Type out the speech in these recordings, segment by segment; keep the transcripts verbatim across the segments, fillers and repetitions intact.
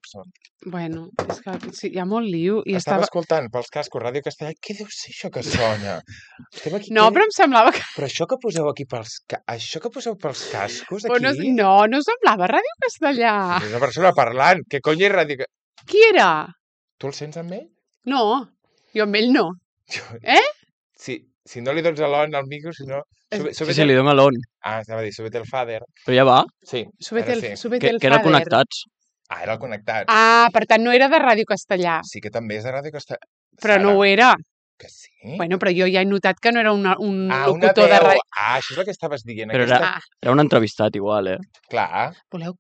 són. Bueno, és que sí, hi ha molt liu. I Estava estava... escoltant pels cascos Ràdio Castellà. Què deu ser això que sona? Aquí, no, però em semblava que... Però això que poseu aquí pels... Ca... Això que poseu pels cascos aquí... No, no, no semblava Ràdio Castellà. És una persona parlant. Què cony és Ràdio Castellà? Qui era? Tu el sents amb ell? No, jo amb ell no. Eh? Sí, si no li dones a l'on al micro, si no... Sube, sí, sí, li dono a l'on. Ah, estava a dir, súbete el fader. Però ja va? Sí, súbete el, sí. Súbete el que, que era connectats. Ah, era el connectat. Ah, per tant no era de Ràdio Castellà. Sí que també és de Ràdio Castellà. Però Sara. No ho era. Que sí? Bueno, però jo ja he notat que no era una, un ah, locutor una de ràdio. Ah, això és el que estaves dient. Però aquesta... era, era un entrevistat igual, eh? Clar. Voleu,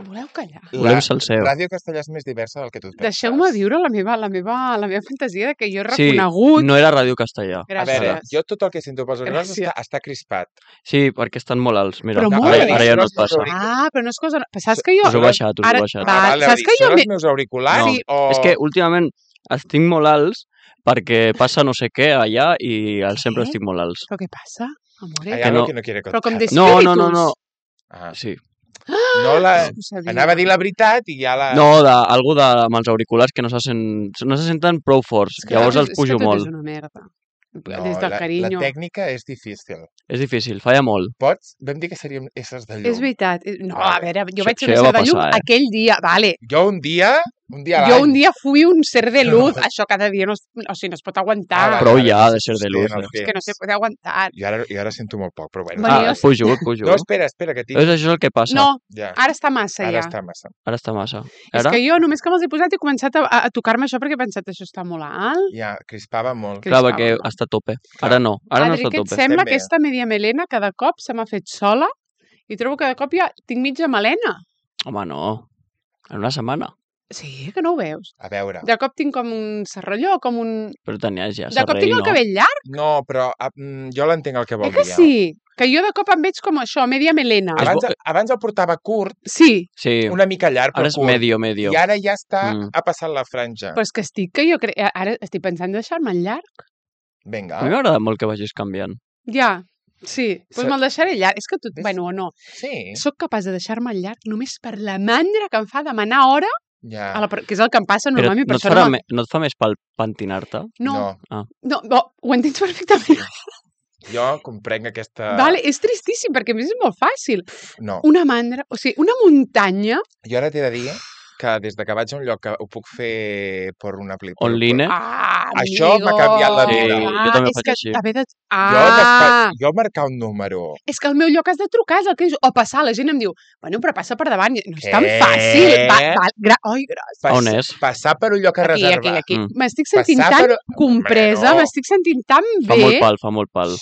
voleu callar? La Volem salseu. Ràdio Castellà és més diversa del que tu et penses. Deixeu-me viure la meva, la, meva, la meva fantasia de que jo he reconegut... Sí, no era Ràdio Castellà. Gràcies. A veure, jo tot el que sento pels auriculars està, està crispat. Sí, perquè estan molt alts. Mira, però no, molt ara, ara ja no et passa. Ah, però no és cosa... Saps que jo... Us ho he baixat, us ho he baixat. Va, ah, vale, saps que jo... Són els meus auriculars? No, o... és que últimament estic molt alts perquè passa no sé què allà i al sempre estic molt alts. Però què passa, amore? Hay algo que no quiere contar. Però com d'espíritus. No, no, no, no. Ah. Sí. No la... Anava a dir la veritat i ja la... No, de, algú de, amb els auriculars que no se, sent, no se senten prou forts. És que Llavors és, els pujo és que molt. És una merda. No, Des del la, carinyo. la tècnica és difícil. És difícil, falla molt. Pots? Vam dir que seríem éssers de llum. És veritat. No, a veure, jo Això- vaig ser això un ja ser va de llum passar, eh? aquell dia, vale. Jo un dia... Un dia a Jo l'any. un dia fui un ser de luz, això cada dia no es, o sigui, no es pot aguantar. Ah, va. Prou vale, ja sí, de ser sí, de sí, luz. no, eh? És que no se pot aguantar. Jo ara, jo ara sento molt poc, però bueno. Bueno, Ah, jo- pujo, pujo. No, espera, espera, que tinc... És això el que passa. No, Ja. ara està massa Ara ja. està massa. Ara està massa. És Ara? que jo només que me'ls he posat he començat a, a tocar-me això perquè he pensat això està molt alt. Ja, crispava molt. Que- Clar, crispava perquè molt. està a tope. Ara no, ara no Adri, està a què et tope. sembla Estem bé. aquesta media melena cada cop se m'ha fet sola i trobo que cada cop ja tinc mitja melena. Home, no. En una setmana. Sí, que no ho veus. A veure. De cop tinc com un serralló, com un... Però tenies ja De cop serrell, tinc el no? cabell llarg. No, però ah, mm, jo l'entenc el que vol Eh que dir. sí? Que jo de cop em veig com això, media melena. És Abans, bo- abans el portava curt, Sí, Sí, una mica llarg, però ara és curt. medio, medio. I ara ja està, Mm. ha passat la franja. però és que estic que jo crec... Ara estic pensant en deixar-me llarg. Vinga. A mi m'agrada molt que vagis canviant. Ja, sí. Doncs Se- me'l deixaré llarg. És que tu... Ves? Bueno, o no. Sí, Soc capaç de deixar-me llarg només per la mandra que em fa demanar hora, ja. a la... que és el que em passa Però normalment. no per et, això farà no, me, no et fa més pel pentinar-te? no, no. no, no, ho entens perfectament. Jo comprenc aquesta... Vale, és tristíssim, perquè a més és molt fàcil. No. Una mandra, o sigui, una muntanya... Jo ara t'he de dir que des de que vaig a un lloc que ho puc fer per una aplicació... Online? Ah, Això m'ha canviat la vida. amigo. Sí, jo també Ah, és faig que així. haver de... Jo, despa... Ah, jo marcar un número... és que al meu lloc has de trucar, és el que és... O passar, la gent em diu, bueno, però passa per davant. No és tan Què? fàcil. Va, va, gra... Oi, gràcies. Pas... On és? Passar per un lloc a Aquí, reservar. aquí, aquí. Mm. M'estic sentint Passar tan per- compresa, Hombre, no. m'estic sentint tan Fa bé. molt pal, fa molt pal.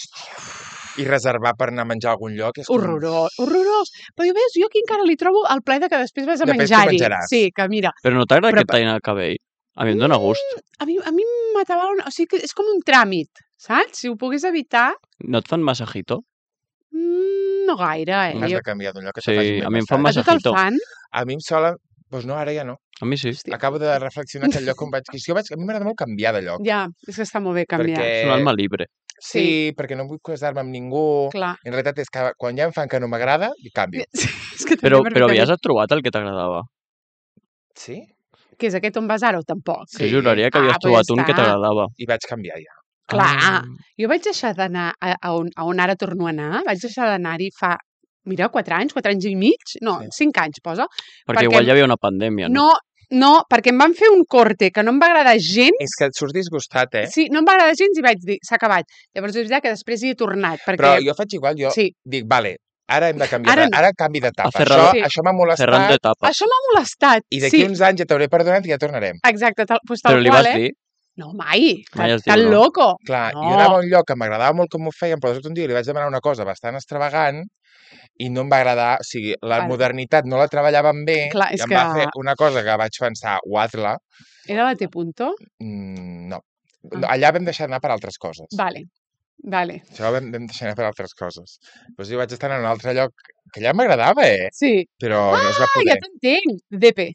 I reservar per anar a menjar a algun lloc és com... Horrorós, horrorós. Però jo veus, jo aquí encara li trobo el plaer de que després vas a Després tu menjar-hi. menjaràs. Sí, que mira, Però no t'agrada Però- que et tallin el cabell? A mi em dóna gust. a mi, a mi m'atabala... O sigui, que és com un tràmit, saps? Si ho pogués evitar, No et fan massajito? mm, no gaire, eh? Has Jo... de canviar d'un lloc que Sí, te faci a un mi em fan massatge. A tu te'l massajito. fan? A mi em sola... Doncs no, ara ja no. A mi sí. Hòstia. Acabo de reflexionar que el lloc on vaig... Que si jo vaig... A mi m'agrada molt canviar de lloc. Ja, és que està molt bé canviar. Perquè... És un alma libre. Sí, perquè no vull casar-me amb ningú. Clar. En realitat és que quan ja em fan que no m'agrada, i canvio. Sí, és que Però, també però perfectament. havies trobat el que t'agradava. Sí? Què és aquest on vas ara o tampoc? Sí. Jo juraria que Ah, havies pues ja trobat un que està. t'agradava. I vaig canviar ja. Clar, Ah. jo vaig deixar d'anar a, a, on, a on ara torno a anar, vaig deixar d'anar-hi fa, mira, quatre anys, quatre anys i mig, no, Sí. cinc anys, posa. Perquè, perquè- igual hi havia una pandèmia, no? No, no, perquè em van fer un corte que no em va agradar gens. És que et surts disgustat, eh? Sí, no em va agradar gens i vaig dir, s'ha acabat. Llavors és veritat que després hi he tornat, perquè... Però jo faig igual, jo Sí, dic, vale, ara hem de canviar, Ara ara, no. ara canvi d'etapa. A fer Això, Sí. això m'ha molestat Ferran d'etapes. això m'ha molestat. i d'aquí sí, uns anys ja t'hauré perdonat i ja tornarem. exacte, tal, pues tal Però li qual, vas eh? dir? No, mai. Mai Tan, es diu, tan no? loco. Clar, No. jo anava a un lloc que m'agradava molt com ho feien, però de sobte un dia li vaig demanar una cosa bastant extravagant i no em va agradar, o sigui, la Vale. modernitat no la treballaven bé Clar, és i em va que- fer una cosa que vaig pensar, guatla, Era la T punto? mm, no. Ah. no. Allà vam deixar anar per altres coses. Vale, vale. Això vam, vam deixar anar per altres coses. Doncs jo vaig estar en un altre lloc que allà m'agradava, eh? Sí. Però no es va Ah, poder. ja t'entenc. D P.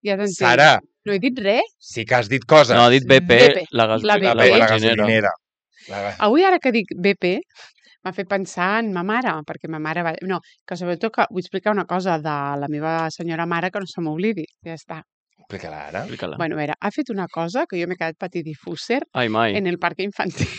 Ja t'entenc. Sara, No he dit res. sí que has dit coses. No, ha dit B P, B P, la, gas la la, B P. la, la benzinera. gasolinera. La... Avui, ara que dic B P, m'ha fet pensar en ma mare, perquè ma mare va... No, que sobretot que vull explicar una cosa de la meva senyora mare que no se m'oblidi. Ja està. Explica-la ara. Explica-la. Bueno, a veure, ha fet una cosa que jo m'he quedat patidifúser Ai, mai. en el parc infantil.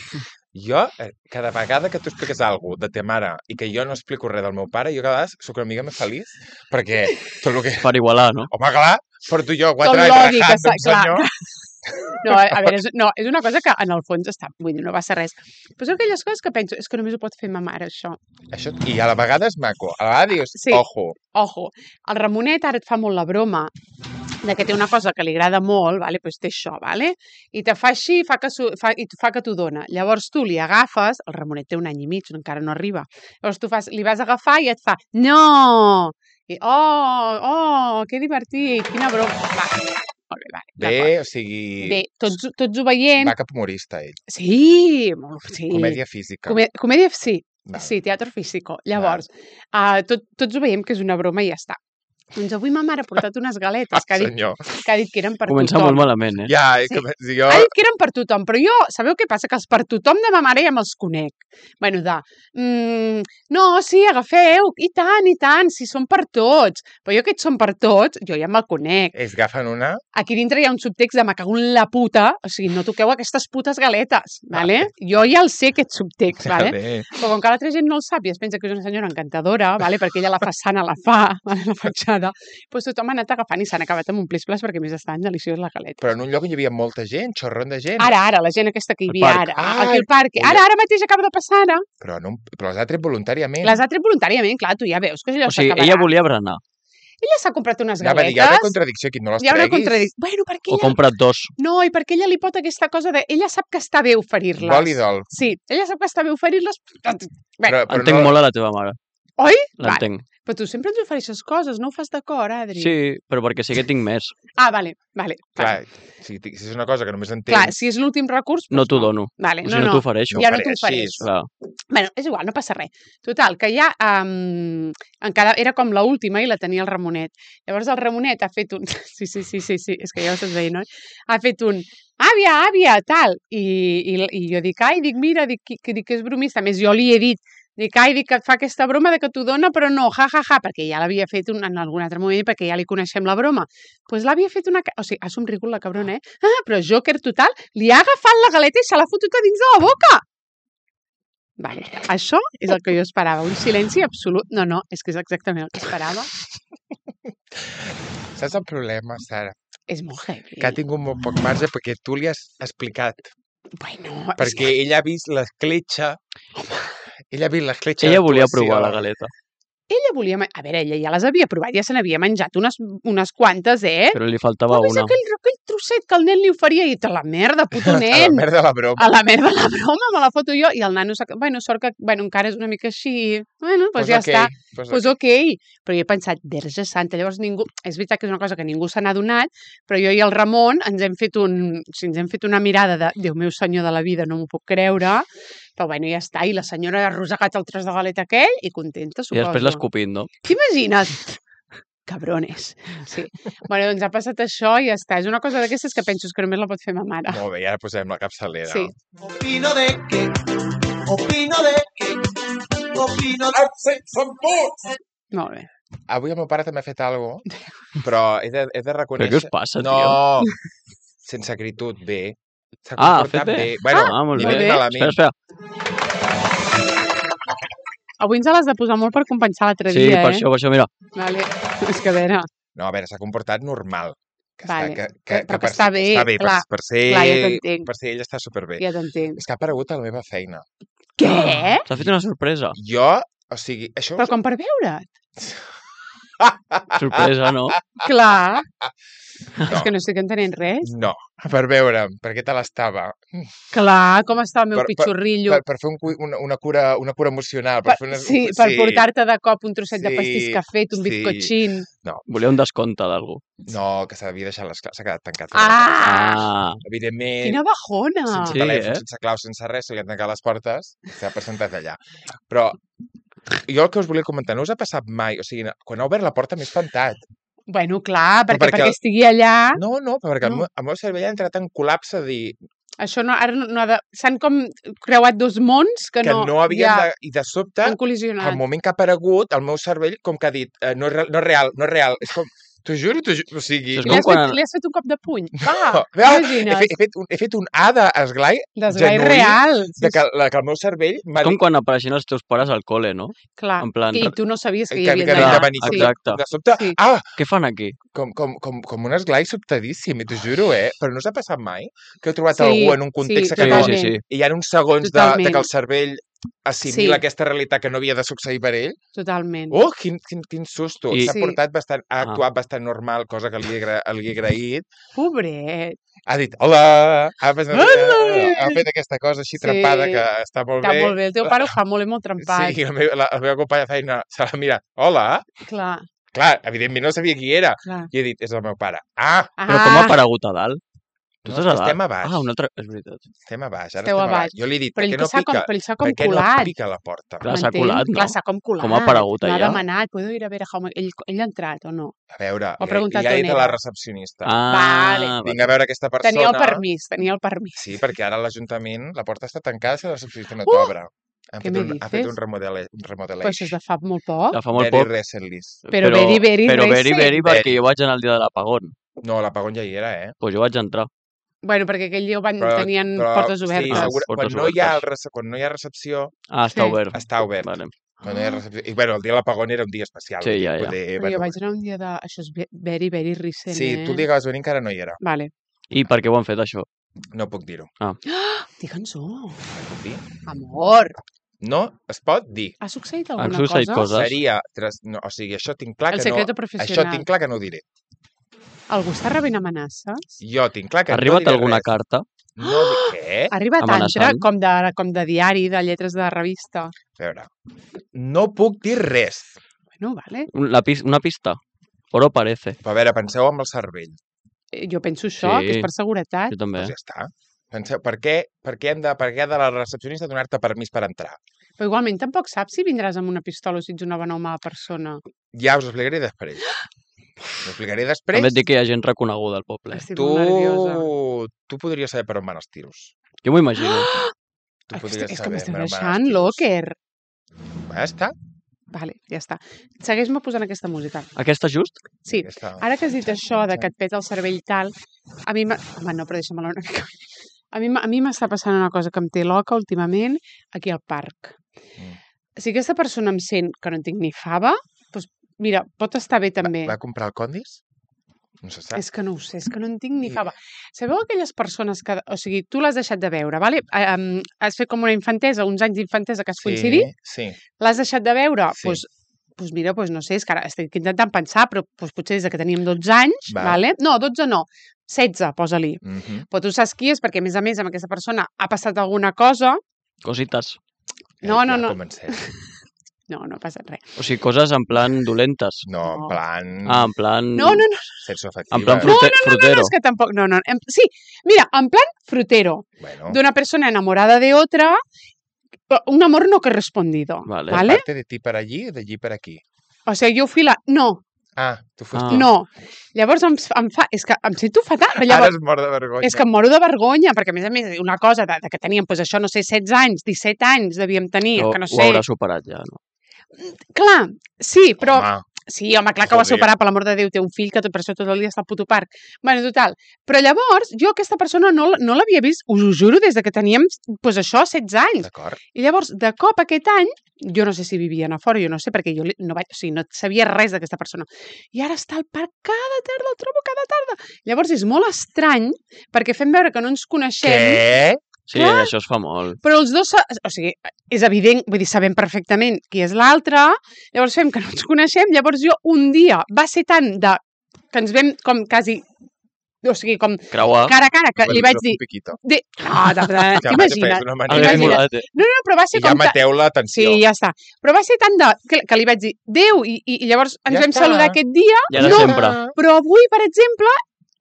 Jo, eh, cada vegada que tu expliques alguna cosa de ta mare i que jo no explico res del meu pare, jo cada vegada soc una mica més feliç, perquè tot el que... Per igualar, no? Home, clar, porto jo Tot quatre anys l'odi que rajant s'ha... d'un Clar. senyor. No, a a veure, és, no, és una cosa que en el fons està... Vull dir, no va ser res. Però són aquelles coses que penso, és que només ho pot fer ma mare, això. Això, I a la vegada és maco. A la vegada dius, Sí. ojo. Ojo, el Ramonet ara et fa molt la broma de que té una cosa que li agrada molt, vale? Pues té això, vale? I te fa així fa que su, fa, i fa que t'ho dona. Llavors tu li agafes, el Ramonet té un any i mig, encara no arriba. Llavors tu fas, li vas a agafar i et fa, no! I, oh, oh, que divertit, quina broma. Va, molt bé, vale, Bé, d'acord. o sigui... Bé, tots, tots ho veient. Va cap humorista, ell. Sí, molt, sí. Comèdia física. Comè comèdia, sí. Val. Sí, teatre físico. Llavors, uh, tot, tots ho veiem que és una broma i ja està. Doncs avui ma mare ha portat unes galetes que ha dit, Senyor. que ha dit que eren per Comença tothom. molt malament, eh? Ja, Sí. que, si jo... Ha dit que eren per tothom, però jo, sabeu què passa? Que els per tothom de ma mare ja me'ls conec. Bueno, de, mm, no, sí, agafeu, i tant, i tant, si són per tots. Però jo aquests són per tots, jo ja me'l conec. Es agafen una... Aquí dintre hi ha un subtext de me cago en la puta, o sigui, no toqueu aquestes putes galetes, vale? Jo ja el sé, aquest subtext, vale? Bé. Però com que l'altra gent no el sap i es pensa que és una senyora encantadora, vale? Perquè ella la façana la fa, vale? La fatxada, doncs tothom ha anat agafant i s'han acabat amb un plis-plas perquè més estan deliciós la galeta. Però en un lloc on hi havia molta gent, xorron de gent. Ara, ara, la gent aquesta que hi Al havia parc. ara, Ah, aquí al parc. ui. Ara, ara mateix acaba de passar, ara. Però, no, però les ha tret voluntàriament. Les ha tret voluntàriament, clar, tu ja veus que allò O sigui, s'acabarà. ella volia berenar. Ella s'ha comprat unes Anava a dir, hi ha una galetes. contradicció aquí, no les Hi ha una treguis. contradicció. Bueno, perquè O ella... comprat dos. No, i perquè ella li pot aquesta cosa de... Ella sap que està bé oferir-les. Vol i dol. Sí, ella sap que està bé oferir-les. Bé, Però, però Entenc no... molt a la teva mare. oi? Va, L'entenc. però tu sempre ens ofereixes coses, no ho fas d'acord, Adri? Sí, però perquè sí que tinc més. Ah, vale, vale. Clar, si, si és una cosa que només entens... Clar, si és l'últim recurs... No doncs t'ho dono. Vale, O no, sigui, no no. t'ofereixo. Ja no t'ho ofereixis. ofereix. Clar. Bueno, és igual, no passa res. Total, que ja um, encara era com la última i la tenia el Ramonet. Llavors el Ramonet ha fet un... Sí, sí, sí, sí, sí, és que ja ho estàs veient, oi? Ha fet un... Àvia, àvia, tal. I, i, i jo dic, ai, dic, mira, dic, que, que, dic que és bromista. A més, jo li he dit, dic, ai, dic que et fa aquesta broma de que t'ho dona, però no, ja, ja, ja, perquè ja l'havia fet un, en algun altre moment, perquè ja li coneixem la broma. Doncs pues l'havia fet una... O sigui, ha somrigut la cabrona, eh? Ah, però Joker total, li ha agafat la galeta i se l'ha fotut a dins de la boca. Vale, això és el que jo esperava, un silenci absolut. No, no, és que és exactament el que esperava. Saps el problema, Sara? És molt heavy. Que ha tingut molt poc marge perquè tu li has explicat. Bueno, és Perquè que... ella ha vist l'escletxa... Ella ha vist l'escletxa Ella volia d'actuació. provar la galeta. Ella volia... ma- A veure, ella ja les havia provat, ja se n'havia menjat unes, unes quantes, eh? Però li faltava Però és una. aquell, aquell trosset que el nen li oferia i te la merda, puto A la nen. merda de la broma. A la merda la broma, me la foto jo. I el nano, s'ha- bueno, sort que bueno, encara és una mica així. Bueno, doncs Pues ja ok, està. pues Doncs ok. Però jo he pensat, verge santa, llavors ningú... És veritat que és una cosa que ningú se n'ha donat, però jo i el Ramon ens hem fet un... O sigui, ens hem fet una mirada de, Déu meu senyor de la vida, no m'ho puc creure. Però bueno, ja està. I la senyora ha rosegat el tros de galeta aquell i contenta, I suposo. després l'escopint, no? T'imagines? Cabrones. Sí. Bueno, doncs ha passat això i ja està. És una cosa d'aquestes que penso que només la pot fer ma mare. Molt bé, i ara posem la capçalera. Sí. Opino de que, opino de que, opino de Molt bé. Avui el meu pare també ha fet alguna cosa, però he de, he de Però reconèixer... què us passa, no, tio? sense acritud, bé. S'ha Ah, ha comportat fet bé. Bueno, Ah, molt ni bé. ben bé. malament. Espera, espera. Avui ens l'has de posar molt per compensar l'altre Sí, dia, per eh? això, per això, mira. Vale. És que a veure... No, a veure, s'ha comportat normal. Que Vale. Està, que, Que- que, però que per està ser- bé, Està bé, per, clar. per, ser, Clar, ja t'entenc. per ser ell està superbé. Ja t'entenc. És que ha aparegut a la meva feina. Què? T'ha fet una sorpresa. Jo, o sigui, això... Però com per veure't? Sorpresa, no? Clar. No. És que no estic entenent res. No, per veure'm, perquè te l'estava. Clar, com està el meu Per- per- pitxorrillo. Per, per fer un, cu- una, una, cura, una cura emocional. Per Per, fer una, sí, per portar-te de cop un trosset de Sí, pastís que ha fet, un sí. bizcochín. Volia un descompte d'algú. No, que s'havia deixat les claus, s'ha quedat tancat. Ah! Ah, Evidentment, Quina bajona! sense Sí, telèfon, eh? sense clau, sense res, se li han tancat les portes, s'ha presentat allà. Però jo el que us volia comentar, no us ha passat mai, o sigui, quan ha obert la porta m'he espantat. Bueno, clar, Però perquè, perquè perquè el- estigui allà... No, no, perquè No. el, meu, el meu cervell ha entrat en col·lapse de dir, Això no, ara no, no ha de... S'han com creuat dos mons que, que no, no havien ja de... I de sobte, han col·lisionat. al moment que ha aparegut, el meu cervell com que ha dit eh, no, és, re- no és real, no és real. És com... T'ho juro, t'ho juro. O sigui... Això és Li com has, fet, quan- li has fet un cop de puny. Va, Veu, he, imagina't. fet, he, fet un, he fet un A d'esglai Desglai genuí real. Sí, de que, la, que el meu cervell m'ha És com dit quan apareixien els teus pares al col·le, no? clar. en plan- I tu no sabies que hi que, havia que Clar, havia de d'allà. venir. Sí. exacte. De sobte, Sí. ah, Què fan aquí? com, com, com, com un esglai sobtadíssim, i t'ho juro, eh? Però no s'ha passat mai que heu trobat Sí, algú en un context sí, que Sí, no... totalment. sí, sí. I hi ha uns segons de, de Totalment. que el cervell assimila Sí. aquesta realitat que no havia de succeir per ell. Totalment. Oh, quin, quin, quin susto. I- S'ha Sí. portat bastant, ha Ah. actuat bastant normal, cosa que li he, agra- li he agraït. Pobret. Ha dit, hola, ha, fet, Hola! ha fet aquesta cosa així Sí. trempada que està molt Està bé. molt bé. El teu pare ho fa molt, molt trempat. Sí, i la meva, la, la meva companya de feina se la mira, hola. Clar, Clar, evidentment no sabia qui era. clar. I he dit, és el meu pare. Ah, Però com ha aparegut a dalt? Tu no, estàs a és que dalt? estem a baix. Ah, un altre... És veritat. Estem a baix, ara Esteu estem a a baix. baix. Jo li he dit, Però per ell què no s'ha com, pica? però ell s'ha com Per què no colat. pica la porta? Clar, s'ha M'entens? colat, no? Clar, s'ha com colat. Com ha aparegut No ha allà? demanat. Puedo ir a ver a Jaume. Ell, ell ha entrat o no? A veure, Ho ha li, preguntat li ha on dit a la era. recepcionista. Ah, Vale. Vinc a veure aquesta persona. Tenia el permís, tenia el permís. Sí, perquè ara a l'Ajuntament la porta està tancada si la recepcionista no Uh! t'obre. Han Què fet me un, ha fet dices? un, remodele, un Però remodelation. això és de fa molt poc. de fa molt Very poc. recently. Però very, very Però very, recent. very, perquè Very. jo vaig anar el dia de l'apagón. No, l'apagón ja hi era, eh? Doncs pues jo vaig entrar. Bueno, perquè aquell dia ho van, Però- tenien però, portes Sí, obertes. Ah, segura, portes quan, no hi ha el, obertes. rece- quan no hi ha recepció, Ah, està Sí. obert. està obert. Vale. Quan no hi ha recepció. I bueno, el dia de l'apagón era un dia especial. Sí, vull dir, ja, ja. poder, Però bueno, jo vaig anar un dia de... Això és ve- very, very recent, Sí, eh? tu el dia que vas venir encara no hi era. Vale. I per què ho han fet, això? No puc dir-ho. Digue'ns-ho. No puc dir. Amor. No es pot dir. Ha succeït Han alguna succeït cosa? coses. Seria... Tras... No, o sigui, això tinc clar El que no... secreto Això professional. tinc clar que no ho diré. Algú està rebent amenaces? Jo tinc clar que Ha no arribat diré alguna res. carta? No di... Què? Ha arribat Amenaçant. altra, com de, com de diari, de lletres de revista. A veure, no puc dir res. Bueno, vale. Un- La pis... Una pista? Oro parece. Però a veure, penseu amb el cervell. Eh, Jo penso això, Sí. que és per seguretat. Jo també. Doncs ja està. Penseu, per què, per què, hem de, per què ha de la recepcionista donar-te permís per entrar? Però igualment tampoc saps si vindràs amb una pistola o si ets una bona o mala persona. Ja us ho explicaré després. Us ho explicaré després. També et dic que hi ha gent reconeguda al poble. Estic tu, molt nerviosa. tu podries saber per on van els tiros. Jo m'ho imagino. Tu És, podries és que m'esteu per on van els deixant tiros. locker. Ja està. Vale, ja està. Segueix-me posant aquesta música. Aquesta just? Sí, Ja està. ara que has dit això de que et peta el cervell tal, a mi... m'ha- Home, no, però deixa-me-la una mica. A mi, m'ha- a mi m'està passant una cosa que em té loca últimament aquí al parc. Mm. Si aquesta persona em sent que no en tinc ni fava, doncs mira, pot estar bé també. Va, va comprar el Condis? No se sap. És que no ho sé, és que no en tinc ni I- fava. Sabeu aquelles persones que... O sigui, tu l'has deixat de veure, vale? Eh, um, has fet com una infantesa, uns anys d'infantesa que has coincidit, Sí, l'has deixat de veure? Sí. Doncs pues mira, pues no sé, és que ara estic intentant pensar, però pues potser des de que teníem dotze anys, Va. vale? No, dotze no, setze, posa-li. Mm -hmm. Però tu saps qui és, perquè a més a més amb aquesta persona ha passat alguna cosa. Cosites. No, no, no. Comencem. No, no ha passat res. O sigui, coses en plan dolentes. No, en No. plan... Ah, en plan... No, no, no, Sexoafectiva. En plan No, frute... no, no, frutero. és que tampoc, no, no. Em, sí, mira, en plan frutero, Bueno, de una persona enamorada de otra, un amor no correspondido, Vale. ¿vale? parte de ti per allí o d'allí per aquí? O sigui, jo fui la... No, Ah, tu foste... Ah. no. Llavors em, em fa... És que em sento fatal. Ara Llavors, es mor de vergonya. és que em moro de vergonya, perquè a més a més una cosa de, de que teníem, doncs això, no sé, setze anys, disset anys devíem tenir, Ho, que no ho sé... haurà superat ja, no? Clar, sí, però... Home, Sí, home, clar que ho va Joder. superar, per l'amor de Déu, té un fill que tot per això tot el dia està al puto parc. Bueno, total. Però llavors, jo aquesta persona no, l- no l'havia vist, us ho juro, des de que teníem, doncs això, setze anys. d'acord. I llavors, de cop aquest any, jo no sé si vivien a fora, jo no sé, perquè jo li- no, vaig, o sigui, no sabia res d'aquesta persona. I ara està al parc cada tarda, el trobo cada tarda. Llavors és molt estrany, perquè fem veure que no ens coneixem, Què? Sí, Clar. això es fa molt. però els dos, sa- o sigui, és evident, vull dir, sabem perfectament qui és l'altre, llavors fem que no ens coneixem, llavors jo un dia va ser tant de que ens vam com quasi, o sigui, com Creuar. cara a cara, que li vaig dir... Un piquito. De... No, de, de, Ja t'imagines? m'ha d'una Hagués manera. Imagina't. molat, eh? No, no, però va ser I ja com... ta- mateu l'atenció. Sí, ja està. Però va ser tant de... Que, que li vaig dir, Déu, i, i, i llavors ens Ja vam està. saludar aquest dia, I ara no, sempre. però avui, per exemple,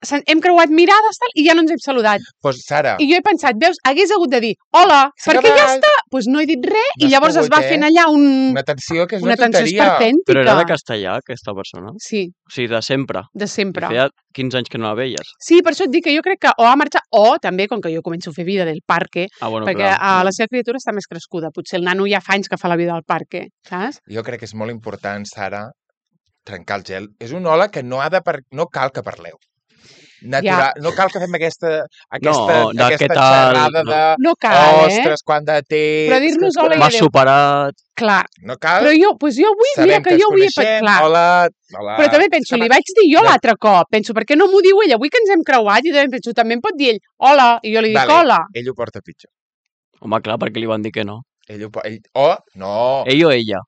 se- hem creuat mirades tal, i ja no ens hem saludat. Pues, Sara, I jo he pensat, veus, hagués hagut de dir hola, S'ha perquè ja acabat. està, doncs no he dit res, No i has llavors es pogut, va eh? fent allà un... una tensió que és una una, tensió tonteria. esperpèntica. Però era de castellà, aquesta persona. Sí, O sigui, de sempre. de I sempre. feia quinze anys que no la veies. Sí, per això et dic que jo crec que o ha marxat, o també, com que jo començo a fer vida del parque, Ah, bueno, perquè clar. a la seva criatura està més crescuda. Potser el nano ja fa anys que fa la vida al parque, saps? Jo crec que és molt important, Sara, trencar el gel. És un hola que no ha de par... no cal que parleu. Natural. No cal que fem aquesta, aquesta, No, de aquesta què tal, xerrada no. de No cal, eh? ostres, quant de temps... Però dir-nos que- hola i M'has adéu. superat... Clar. No cal... Però jo, doncs jo avui, Sabem mira que, ens jo avui... he pe- coneixem, Clar. Hola, hola. Però també penso, És que li vaig dir jo No. l'altre cop. Penso, per què no m'ho diu ell? Avui que ens hem creuat, i també penso, també em pot dir ell hola, i jo li dic Vale. hola. Ell ho porta pitjor. Home, clar, perquè li van dir que no. Ell ho, po- ell, oh, no. Ell o ella?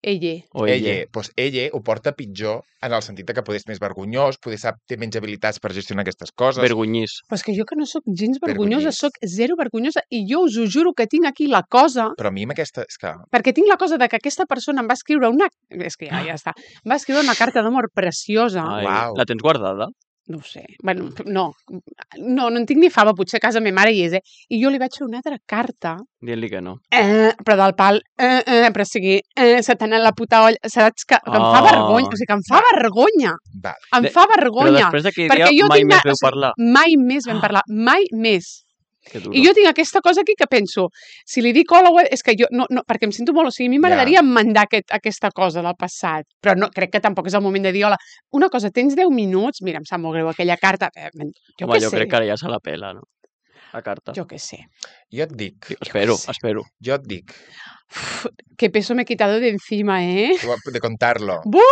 Ella. O Ella, ella? doncs ella ho porta pitjor en el sentit de que poder és més vergonyós, poder sap, té menys habilitats per gestionar aquestes coses. Vergonyís. Però és que jo que no sóc gens vergonyosa, Vergonyís. sóc zero vergonyosa, i jo us ho juro que tinc aquí la cosa, Però a mi amb aquesta... És que... perquè tinc la cosa de que aquesta persona em va escriure una... És que ja, ja està. Em va escriure una carta d'amor preciosa. Ai, Uau. La tens guardada? No ho sé. Bueno, no. No, no en tinc ni fava. Potser a casa ma mare hi és, eh? I jo li vaig fer una altra carta, Dient-li que no. eh, però del pal, eh, eh, però o sigui, eh, se t'ha anat la puta olla. Saps que, que em fa Ah. vergonya. O sigui, que em fa vergonya. Vale. Em De- fa Però vergonya. després d'aquell perquè dia jo mai tinc més la- veu o sigui, parlar. Mai més vam parlar. Mai més. Que duro. I jo tinc aquesta cosa aquí que penso, si li dic hola, és que jo, no, no, perquè em sento molt, o sigui, a mi m'agradaria mandar aquest, aquesta cosa del passat, però no, crec que tampoc és el moment de dir hola. Una cosa, tens deu minuts, mira, em sap molt greu aquella carta, eh, jo Home, què jo sé, crec que ara ja se la pela, no? La carta. jo què sé. Jo et dic, Espero, sé. espero. jo et dic, Uf, qué peso me he quitado de encima, eh? de contar-lo. Buh!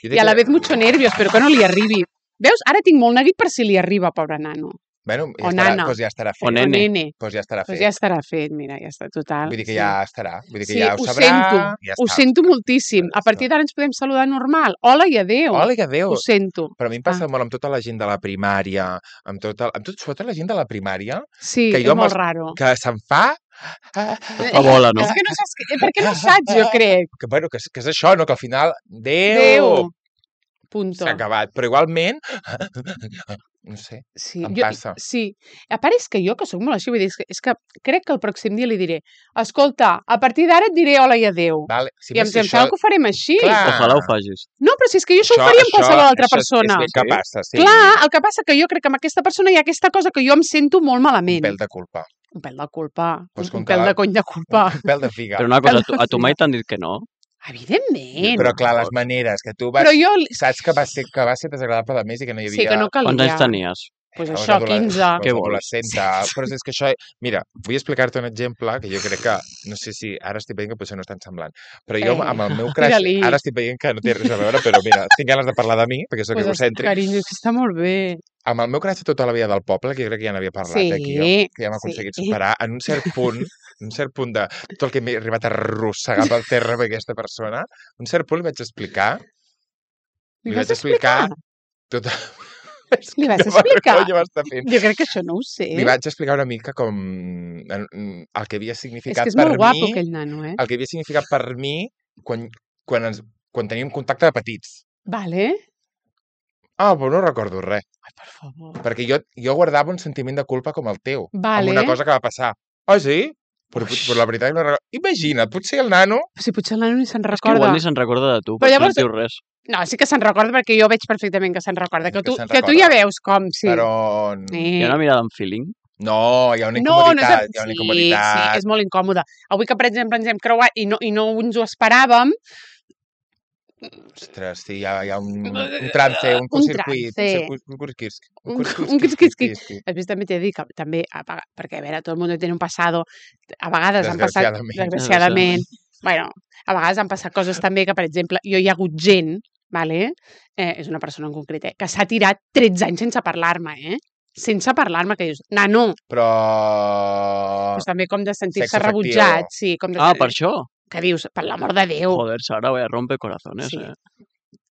Jo I a la vez mucho nervio, espero que no li arribi. Veus? Ara tinc molt neguit per si li arriba, pobre nano. Bueno, ja O estarà, nana. doncs ja estarà fet. O O nene. nene. Doncs ja estarà Pues fet. ja estarà fet, mira, ja està total. Vull dir que sí. ja estarà. Vull dir que Sí, ja ho ho sabrà. sento, Ja ho està. sento moltíssim. Ja A partir està. d'ara ens podem saludar normal. Hola i adéu. Hola i adéu. Ho sento. Però a mi em passa molt amb tota la gent de la primària, amb tota, amb tot, sobretot la gent de la primària, Sí, que és jo amb molt els- raro. que se'n fa... Fa bola, no? És que no saps... Que... Perquè no saps, jo crec. Que, bueno, que, és- que és això, no? Que al final... Déu! Adéu. Punto. S'ha acabat. Però igualment... No sé. Sí, Em jo, passa. sí. A part és que jo, que sóc molt així, vull dir, és que, és que crec que el pròxim dia li diré escolta, a partir d'ara et diré hola i adéu. Vale. Si I em més si sembla que ho farem així. Clar. Ojalà ho facis. No, però si és que jo això, ho faria amb qualsevol altra això és- persona. És, que passa, sí. Clar, el que passa que jo crec que amb aquesta persona hi ha aquesta cosa que jo em sento molt Un malament. pèl de culpa. Un pèl de culpa. Pues un, com un que pèl la- de cony de culpa. Un pèl de figa. Però una cosa, a tu, Pèl de a tu mai figa. t'han dit que no? Evidentment. Però clar, les maneres que tu vas... Però jo... Saps que va ser, que va ser desagradable de més i que no hi havia... Sí, que no calia. Quants anys tenies? Pues Llavors, això, adoles- quinze. llavors Què vols? adolescenta. Però és que això... Mira, vull explicar-te un exemple que jo crec que... No sé si ara estic veient que potser no és tan semblant. Però jo Eh, amb el meu crush... tira-li. Ara estic veient que no té res a veure, però mira, tinc ganes de parlar de mi, perquè sóc Pues, egocèntric. carinyo, és que està molt bé. Amb el meu crush de tota la vida del poble, que jo crec que ja n'havia parlat Sí, aquí, jo, que ja hem aconseguit sí. superar, en un cert punt, en un cert punt de tot el que m'he arribat a arrossegar pel terra amb aquesta persona, un cert punt li vaig explicar, Li li vas vaig explicar tot... Li vas Que explicar? vergonya m'està fent. Jo crec que això no ho sé. Li vaig explicar una mica com en- en- el que havia És significat que és per molt guapo, mi, aquell nano, eh? el que havia significat per mi quan, quan, ens, quan teníem contacte de petits. Vale. Ah, però no recordo res, Ai, per favor. perquè jo, jo guardava un sentiment de culpa com el teu, Vale. amb una cosa que va passar. Ah, sí? Però, Uix. però la veritat no recordo. Imagina't, potser el nano... Però si potser el nano ni se'n És que recorda. igual ni se'n recorda de tu, Però però llavors- no et diu res. No, sí que se'n recorda perquè jo veig perfectament que se'n recorda. Que Que tu, se'n que tu recorda. ja veus com, sí. Però... Sí. Hi ha una mirada amb feeling. No, hi ha una No, no és... incomoditat, de- hi ha una sí, incomoditat. sí, és molt incòmode. Avui que, per exemple, ens hem creuat i no, i no ens ho esperàvem, Ostres, sí, hi ha, hi ha un, un trance, un Un curtcircuit, trance. un circuit, un curquisqui. Un- un quisquisqui. després també t'he de dir que també, a vega- perquè a veure, tot el món té un passado, a vegades han passat, Desgraciadament. desgraciadament, bueno, a vegades han passat coses també que, per exemple, jo hi ha hagut gent, vale? eh, és una persona en concret, eh, que s'ha tirat tretze anys sense parlar-me, eh? Sense parlar-me, que dius, nano, Però... doncs també com de sentir-se Sexe afectiu. rebutjat, sí, com de, Ah, per això? que dius, per l'amor de Déu, Joder, Sara, voy a romper corazones, Sí. eh?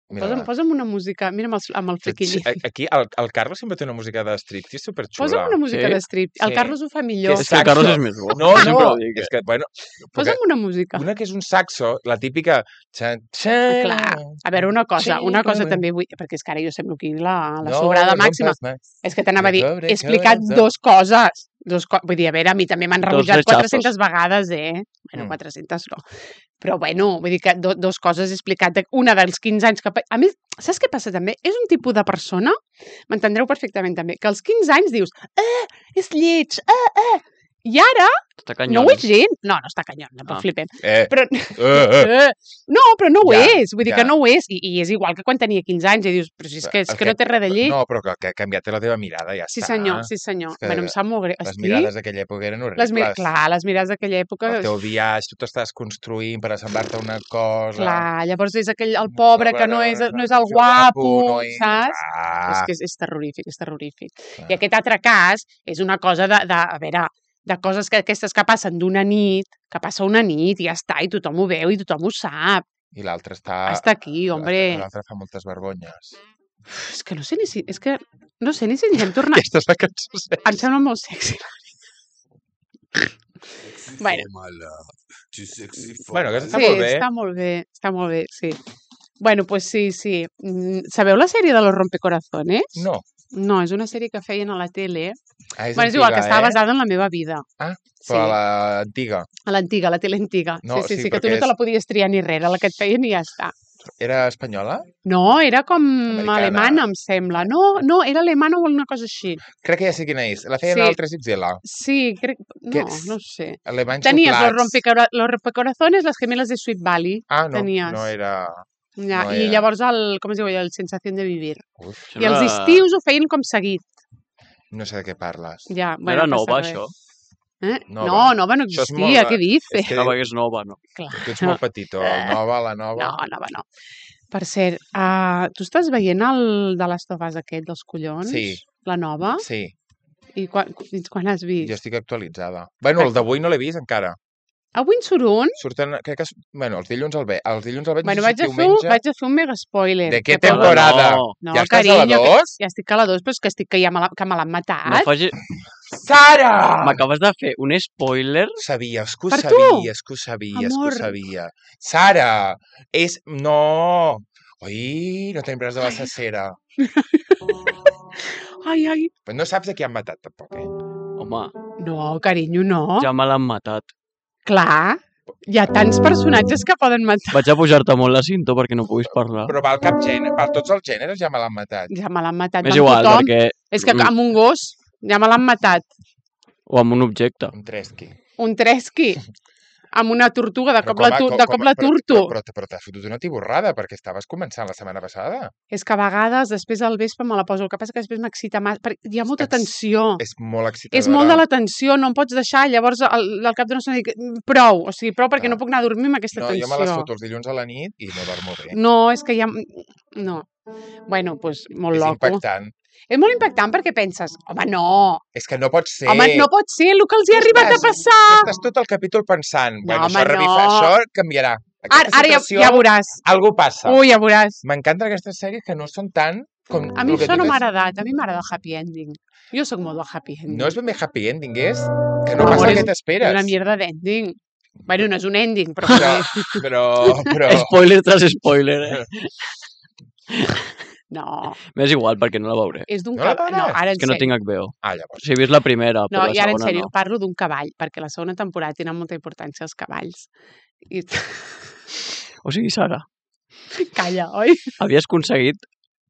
Posa'm, posa'm una música, mira amb el, amb el flequilli. Aquí el, el Carlos sempre té una música de striptease superxula. Posa'm una música Sí? de strip. El Sí. Carlos ho fa millor. Que És que el Carlos és més bo. No, no, Sempre ho dic. és que, bueno... perquè Posa'm una música. Una que és un saxo, la típica... Xan, xan, Clar. A veure, una cosa, una cosa Sí, també vull... Perquè és que ara jo semblo aquí la, la no sobrada me màxima. rompas más. És que t'anava a dir, Pobre he explicat corazón. dos coses. Dos co vull dir, a veure, a mi també m'han Dos rebutjat rechazos. quatre-centes vegades, eh? Bueno, Mm. quatre-centes no. Però bueno, vull dir que do, dos coses he explicat. de- Una dels quinze anys que... pa- A més, saps què passa també? És un tipus de persona, m'entendreu perfectament també, que als quinze anys dius, eh, és lleig, eh, eh. I ara Està canyon. no ho és gent. No, no està canyon, tampoc Ah. flipem. Eh, Però, eh, eh. eh, no, però no ho Ja, és. Vull dir ja. que no ho és. I, I és igual que quan tenia quinze anys i dius, però si és que, és El que no té res de lleig. No, però que, que ha canviat la teva mirada, ja Sí, està. senyor, sí, senyor. És que Bueno, em sap molt greu. Les Estic... mirades d'aquella època eren horribles. Les mir... Clar, les mirades d'aquella època... El teu viatge, tu t'estàs construint per assemblar-te a una cosa. Clar, llavors és aquell, el pobre que no és, no és el Jo guapo, no hi- saps? Ah, És que és, és terrorífic, és terrorífic. clar. I aquest altre cas és una cosa de, de a veure, de coses que aquestes que passen d'una nit, que passa una nit i ja està, i tothom ho veu i tothom ho sap. I l'altre està... Està aquí, hombre. L'altre fa moltes vergonyes. És que no sé ni si... És que no sé ni si ens hem tornat... Aquesta és la cançó. Em sembla molt sexy. Bueno. Bueno, aquesta està Sí, molt bé. està molt bé, està molt bé, sí. Bueno, pues sí, sí. Mm, Sabeu la sèrie de los rompecorazones? No. No, és una sèrie que feien a la tele. Ah, és Bueno, és igual, que antiga, estava eh? basada en la meva vida. Ah, Sí, però a l'antiga. a l'antiga, a la tele antiga. No, sí, sí, sí, sí, que tu perquè no te és- la podies triar ni res, era la que et feien i ja està. Era espanyola? No, era com Americana. alemana, em sembla. No, no, era alemana o alguna cosa així. Crec que ja sé quina és. La feien Sí. al tres ics ele. Sí, crec... No, Que- no sé. Alemanys Tenies los, soplats. rompecora... los rompecorazones, les gemeles de Sweet Valley. Ah, no, tenies. no era... Ja, No I era. llavors el, com es diu, el Sensación de Vivir. Uf, Això I els no era- estius ho feien com seguit. no sé de què parles. Ja, No bueno, era no passa nova, res. això. Eh? Nova. No, nova no Això és existia, molt- què dices? és que- Nova que és nova, no? Clar. Tu ets molt petitó. El nova, la nova... No, nova no. Per cert, uh, tu estàs veient el de les Tofas aquest, dels collons? Sí. La nova? Sí, I quan, fins quan has vist? jo estic actualitzada. Bueno, el d'avui no l'he vist encara. Avui en surt un? Surten, crec que... es- Bueno, els dilluns el ve. Els dilluns el veig, Bueno, no sé vaig si a, fer un, diumenge. vaig a fer un mega spoiler. De què Que per- temporada? No. No, ja estàs carinyo, a la dos? Ja estic a la dos, però és que estic que ja me la, que me l'han matat. No faci... Sara! M'acabes de fer un spoiler. Sabies que ho Per tu? sabies, que ho sabies, Amor. que ho sabia. Sara! És... No! Ui, no tenim res de la cacera. Ai, ai. Però no saps de qui han matat, tampoc, eh? Home, No, carinyo, no. ja me l'han matat. Clar, hi ha tants personatges que poden matar. Vaig a pujar-te molt la cinta perquè no puguis parlar. Però val cap gènere, per tots els gèneres ja me l'han matat. Ja me l'han matat. M'és amb igual, tothom. perquè... És que Mm. amb un gos ja me l'han matat. O amb un objecte. Un tresqui. Un tresqui. Amb una tortuga, de Però cop la, com a- tu, com- de com cop a- la però- turto. Però, però, però t'has fotut una tiborrada, perquè estaves començant la setmana passada. És que a vegades, després al vespre me la poso. El que passa que després m'excita més. Perquè hi ha molta Ex- tensió. És molt excitadora. És molt de la tensió, no em pots deixar. Llavors, al, al cap d'una estona dic, prou. O sigui, prou perquè Ah. no puc anar a dormir amb aquesta No, tensió. jo me les foto els dilluns a la nit i no dormo bé. No, és que ja... No. Bueno, doncs pues, molt és loco. impactant. És molt impactant perquè penses, home, no, És que no pot ser. home, no pot ser el que els hi ha Tu arribat a estàs- passar. Estàs tot el capítol pensant, bueno, home, això, revifa, no. això canviarà. Ara, Aquesta ara ja, situació, ja veuràs. algú passa. Ui, ja veuràs. M'encanten aquestes sèries que no són tant com... A mi el que això no tu m'ha tens. agradat, a mi m'agrada el happy ending. Jo sóc molt del happy ending. No és ben bé happy ending, és que no Amor, passa el és que t'esperes. una mierda d'ending. Bueno, no és un ending, però... Però, però, però... Spoiler tras spoiler, eh? No, M'és igual perquè no la veuré. és d'un No la cavall. No, veuràs? ara És en que no sèrio. tinc H B O. Ah, llavors. O sigui, he vist la primera, No, però la i ara en segona sèrio, no. parlo d'un cavall, perquè la segona temporada tenen molta importància els cavalls. I... O sigui, Sara, Calla, oi? havies aconseguit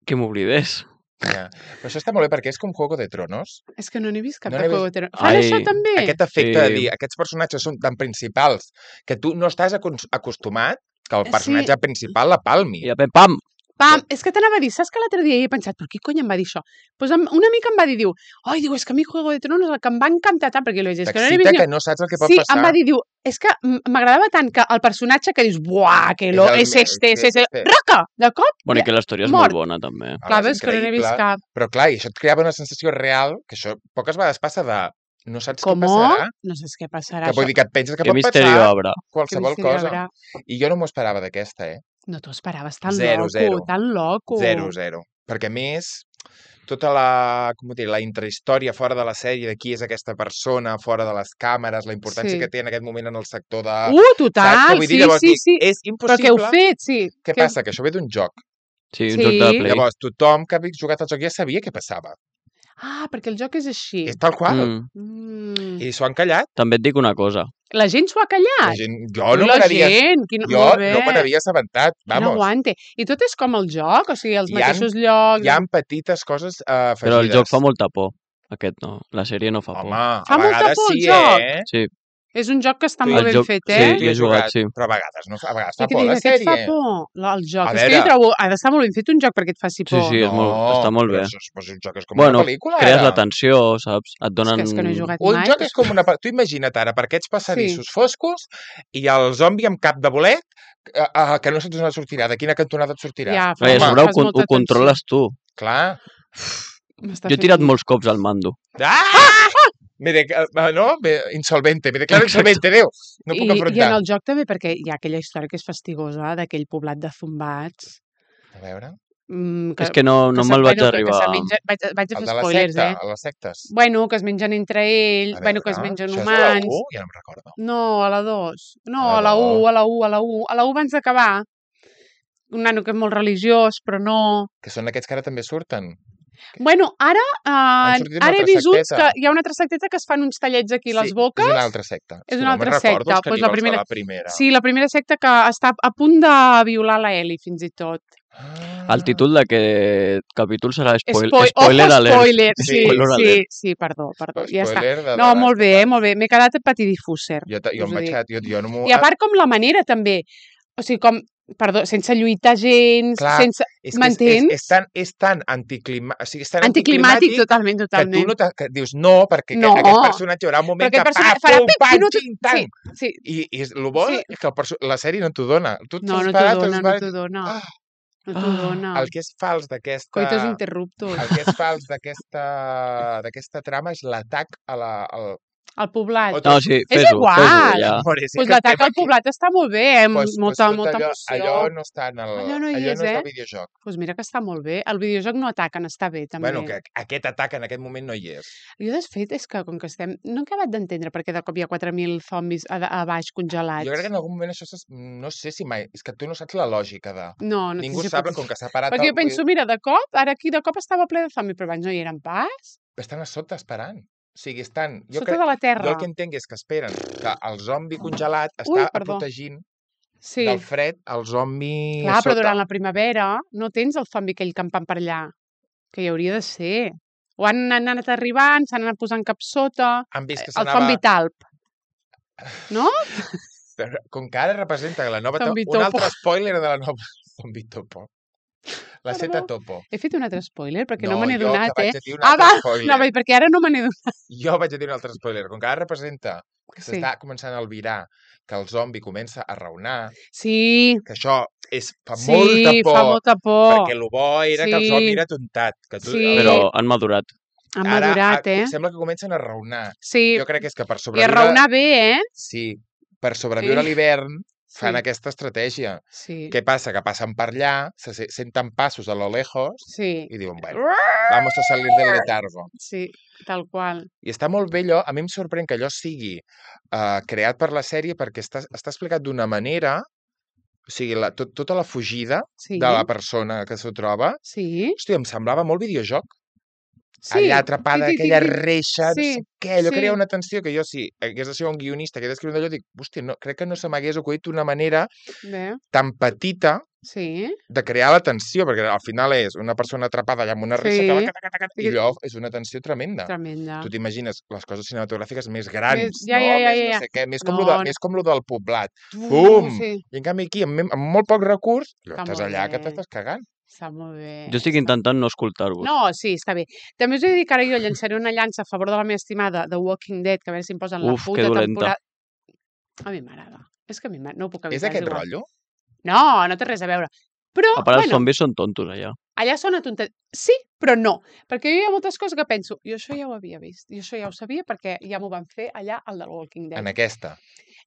que m'oblidés. Ja. Però això està molt bé perquè és com Juego de Tronos. És que no n'he vist cap No de n'he Juego vist- de Tronos. Fan Ai, això també? Aquest efecte de Sí. dir, aquests personatges són tan principals que tu no estàs acos- acostumat que el Sí. personatge principal la palmi. I de pam, pam! Pam, és que t'anava a dir, saps que l'altre dia he pensat, però qui cony em va dir això? Pues em- una mica em va dir, diu, oi, diu, és que a mi Juego de Tronos el que em va encantar tant, perquè jo li vaig dir, és que no n'he T'excita vist que ni... no saps el que pot Sí, passar. em va dir, diu, és que m- m'agradava tant que el personatge que dius, buah, que lo, És el és me- este, és sí, este, sí. roca, de cop, Bueno, i ja, que la història és mort. molt bona, també. Ah, clar, és veus que no n'he vist increïble. cap. Però clar, i això et creava una sensació real, que això poques vegades passa de no saps Com? què passarà, No saps què passarà. que vull dir que et penses que Que pot misteri passar obre. qualsevol cosa. I jo no m'ho esperava d'aquesta, eh? No t'ho esperaves tan Zero, loco, zero. tan loco. Zero, zero. Perquè, a més, tota la, com ho diré, la intrahistòria fora de la sèrie, de qui és aquesta persona, fora de les càmeres, la importància Sí. que té en aquest moment en el sector de... Uh, Saps què total, vull dir? sí, Llavors sí, dic, sí. és Però què heu impossible... fet, sí. Què Que- passa? Que això ve d'un joc. Sí, un Sí. joc de Play. Llavors, tothom que havia jugat al joc ja sabia què passava. Ah, perquè el joc és així. És tal qual. Mm. Mm. I s'ho han callat. També et dic una cosa. La gent s'ho ha La callat. gent... Jo Ui, no la me n'havia... gent, quin... Jo molt bé. no me n'havia assabentat. Quin Vamos. aguante. I tot és com el joc? O sigui, els Hi han- mateixos llocs... Hi ha petites coses uh, afegides. Però el joc fa molta por. Aquest no. La sèrie no fa por. Home, a Fa molta vegades por el sí, joc. eh? Sí. És un joc que està Sí. molt El ben joc- fet, sí, eh? hi he jugat, sí. Però a vegades, no fa, a vegades I fa que por dius, la aquest fa sèrie. por, la- el joc. A És que jo veure. trobo, ha d'estar molt ben fet un joc perquè et faci Sí, por. sí, és molt, està molt però bé. això és, però un joc és com Bueno, una pel·lícula, crees ara. la tensió, saps? Et És donen... que, és que no he jugat Un mai. joc és com una... pe- Tu imagina't ara, per aquests passadissos foscos i el zombi amb cap de bolet eh, eh, que no saps on et sortirà, de quina cantonada et sortirà. Ja, Clar, I a Home, sobre ho, fas con- molta ho controles tu. Clar. M'està Jo he fent tirat un- molts cops al mando. Ah! Me de... eh, no? Me... Insolvente. Me declaro Exacte. insolvente, Déu. No puc I, I en afrontar. el joc també, perquè hi ha aquella història que és fastigosa d'aquell poblat de zombats. A veure... Mm, És que no, no se- me'l vaig bueno, que- arribar... Que se menja, vaig, vaig a El fer de la spoilers, secta, eh? a les sectes. Bueno, que es mengen entre ells, A bueno, que es veure, mengen això és a la humans. u? Ja no em recordo. No, a la dos. No, A a la la dos. u, a la u, a la u. A la u abans d'acabar. Un nano que és molt religiós, però no... Que són aquests que ara també surten. Bueno, ara, Han uh, sortit una ara he altra vist uns secteta. que hi ha una altra secteta que es fan uns tallets aquí a les boques. És una altra secta. És que una no me'n altra recordo secta. els Pues la caníbals primera- de la primera. Sí, la primera secta que està a punt de violar la Ellie, fins i tot. Ah. El títol d'aquest capítol serà spoil... Spoi- spoiler Ojo, alert. spoiler. Sí, Spoiler sí, alert. sí, perdó, perdó. Ja està. Spoiler de No, The molt Last bé, of eh, Us. molt bé. M'he quedat petidifúser. Jo, ta- jo us em ho vaig... dic. Jo, jo no m'ho... I a part com la manera també. O sigui, com, perdó, sense lluitar gens, Clar, sense... és, que és, és, m'entens? és, tan, és tan anticlimàtic, o sigui, és tan Anticlimàtic, totalment, que tu totalment. no te, que dius no, perquè No. no. aquest personatge hi haurà un moment Però aquest que personatge pa, farà pum, pip i pam, no te- xing, tang. Sí, sí. I, i és, el bo Sí. és que el perso la sèrie no t'ho dona. Tu No, t'has no t'ho parat, dona, t'has no parat- t'ho dona. Ah, No t'ho Ah, dona. el que és fals d'aquesta... Coitos interruptos. El que és fals d'aquesta d'aquesta trama és l'atac a la... Al... El poblat. O No, sí, És fes-ho, igual. fes-ho, ja. Amore, sí Pues que l'atac estem al aquí. poblat està molt bé, eh? amb Pues, molta, pues, tot molta allò, emoció. allò no està en el... Allò no hi allò és, no és eh? el videojoc. Pues mira que està molt bé. El videojoc no ataquen, està bé, també. Bueno, que aquest atac en aquest moment no hi és. Jo, de fet, és que com que estem... No he acabat d'entendre perquè de cop hi ha quatre mil zombis a, a baix congelats. Jo crec que en algun moment això... s'es- No sé si mai... És que tu no saps la lògica de... No, no Ningú sé si sap pot- com que s'ha parat... Perquè el- jo penso, mira, de cop, ara aquí de cop estava ple de zombis, però abans no hi eren pas. Estan a sota esperant. O sigui, estan... Jo, Sota crec... de la jo terra. el que entenc és que esperen que el zombi congelat Ui, està perdó. protegint Sí. del fred el zombi Clar, a però sota. durant la primavera no tens el zombi aquell campant per allà, que hi hauria de ser. O han anat arribant, s'han anat posant cap sota... Han vist que El s'anava... zombi talp. No? Com que ara representa la nova... Zombi Un topo. altre spoiler de la nova... Zombi topo. La Perdó. seta topo. He fet un altre spoiler, perquè no, me n'he jo donat, que eh? vaig a dir un Ah, altre va! spoiler. No, perquè ara no me n'he donat. Jo vaig a dir un altre spoiler. Com que ara representa que Sí. s'està començant a albirar, que el zombi comença a raonar, Sí, que això és, fa sí, molta por, fa molta por. perquè el bo era que el Sí. zombi era tontat. Que tu, Sí. Però han madurat. Han ara madurat, a- eh? sembla que comencen a raonar. Sí, Jo crec que és que per i a sobreviure... raonar bé, eh? Sí, per sobreviure Sí. a l'hivern fan Sí. aquesta estratègia. Sí, Què passa? Que passen per allà, se se- senten passos a lo lejos sí. i diuen, bueno, vamos a salir del letargo. Sí, tal qual. I està molt bé allò, a mi em sorprèn que allò sigui uh, creat per la sèrie perquè està, està explicat d'una manera, o sigui, la, tot, tota la fugida Sí, de la persona que s'ho troba, sí. hòstia, em semblava molt videojoc. Sí. Allà atrapada, Ti, ti, ti, aquella ti. reixa, no Sí, sé què, allò sí. crea una tensió que jo, si hagués de ser un guionista que hagués d'escriure allò, dic, hòstia, no, crec que no se m'hagués acudit d'una manera Bé, tan petita sí. de crear la tensió, perquè al final és una persona atrapada allà amb una reixa que va Sí. cata, cata, cata, I i allò és una tensió tremenda. Tremenda. Tu t'imagines les coses cinematogràfiques més grans, ja, no? ja, ja, més ja, no ja. sé què, més com, No, lo de, no. més com lo del poblat. Uh, Fum! Sí, I en canvi aquí, amb, amb molt poc recurs, allò, Està estàs molt allà que bé. t'estàs cagant. està molt bé. Jo estic està- intentant no escoltar-vos. No, sí, està bé. També us he de dir que ara jo llançaré una llança a favor de la meva estimada The Walking Dead, que a veure si em posen la Uf, que puta dolenta. temporada... A mi m'agrada. És que a mi m'agrada. No ho puc És evitar. aquest igual. rotllo? No, no té res a veure. Però, A part, els bueno, zombis són tontos, allà. allà sona tontet. Sí, però no. Perquè jo hi ha moltes coses que penso, jo això ja ho havia vist, jo això ja ho sabia perquè ja m'ho van fer allà al del Walking Dead. En aquesta.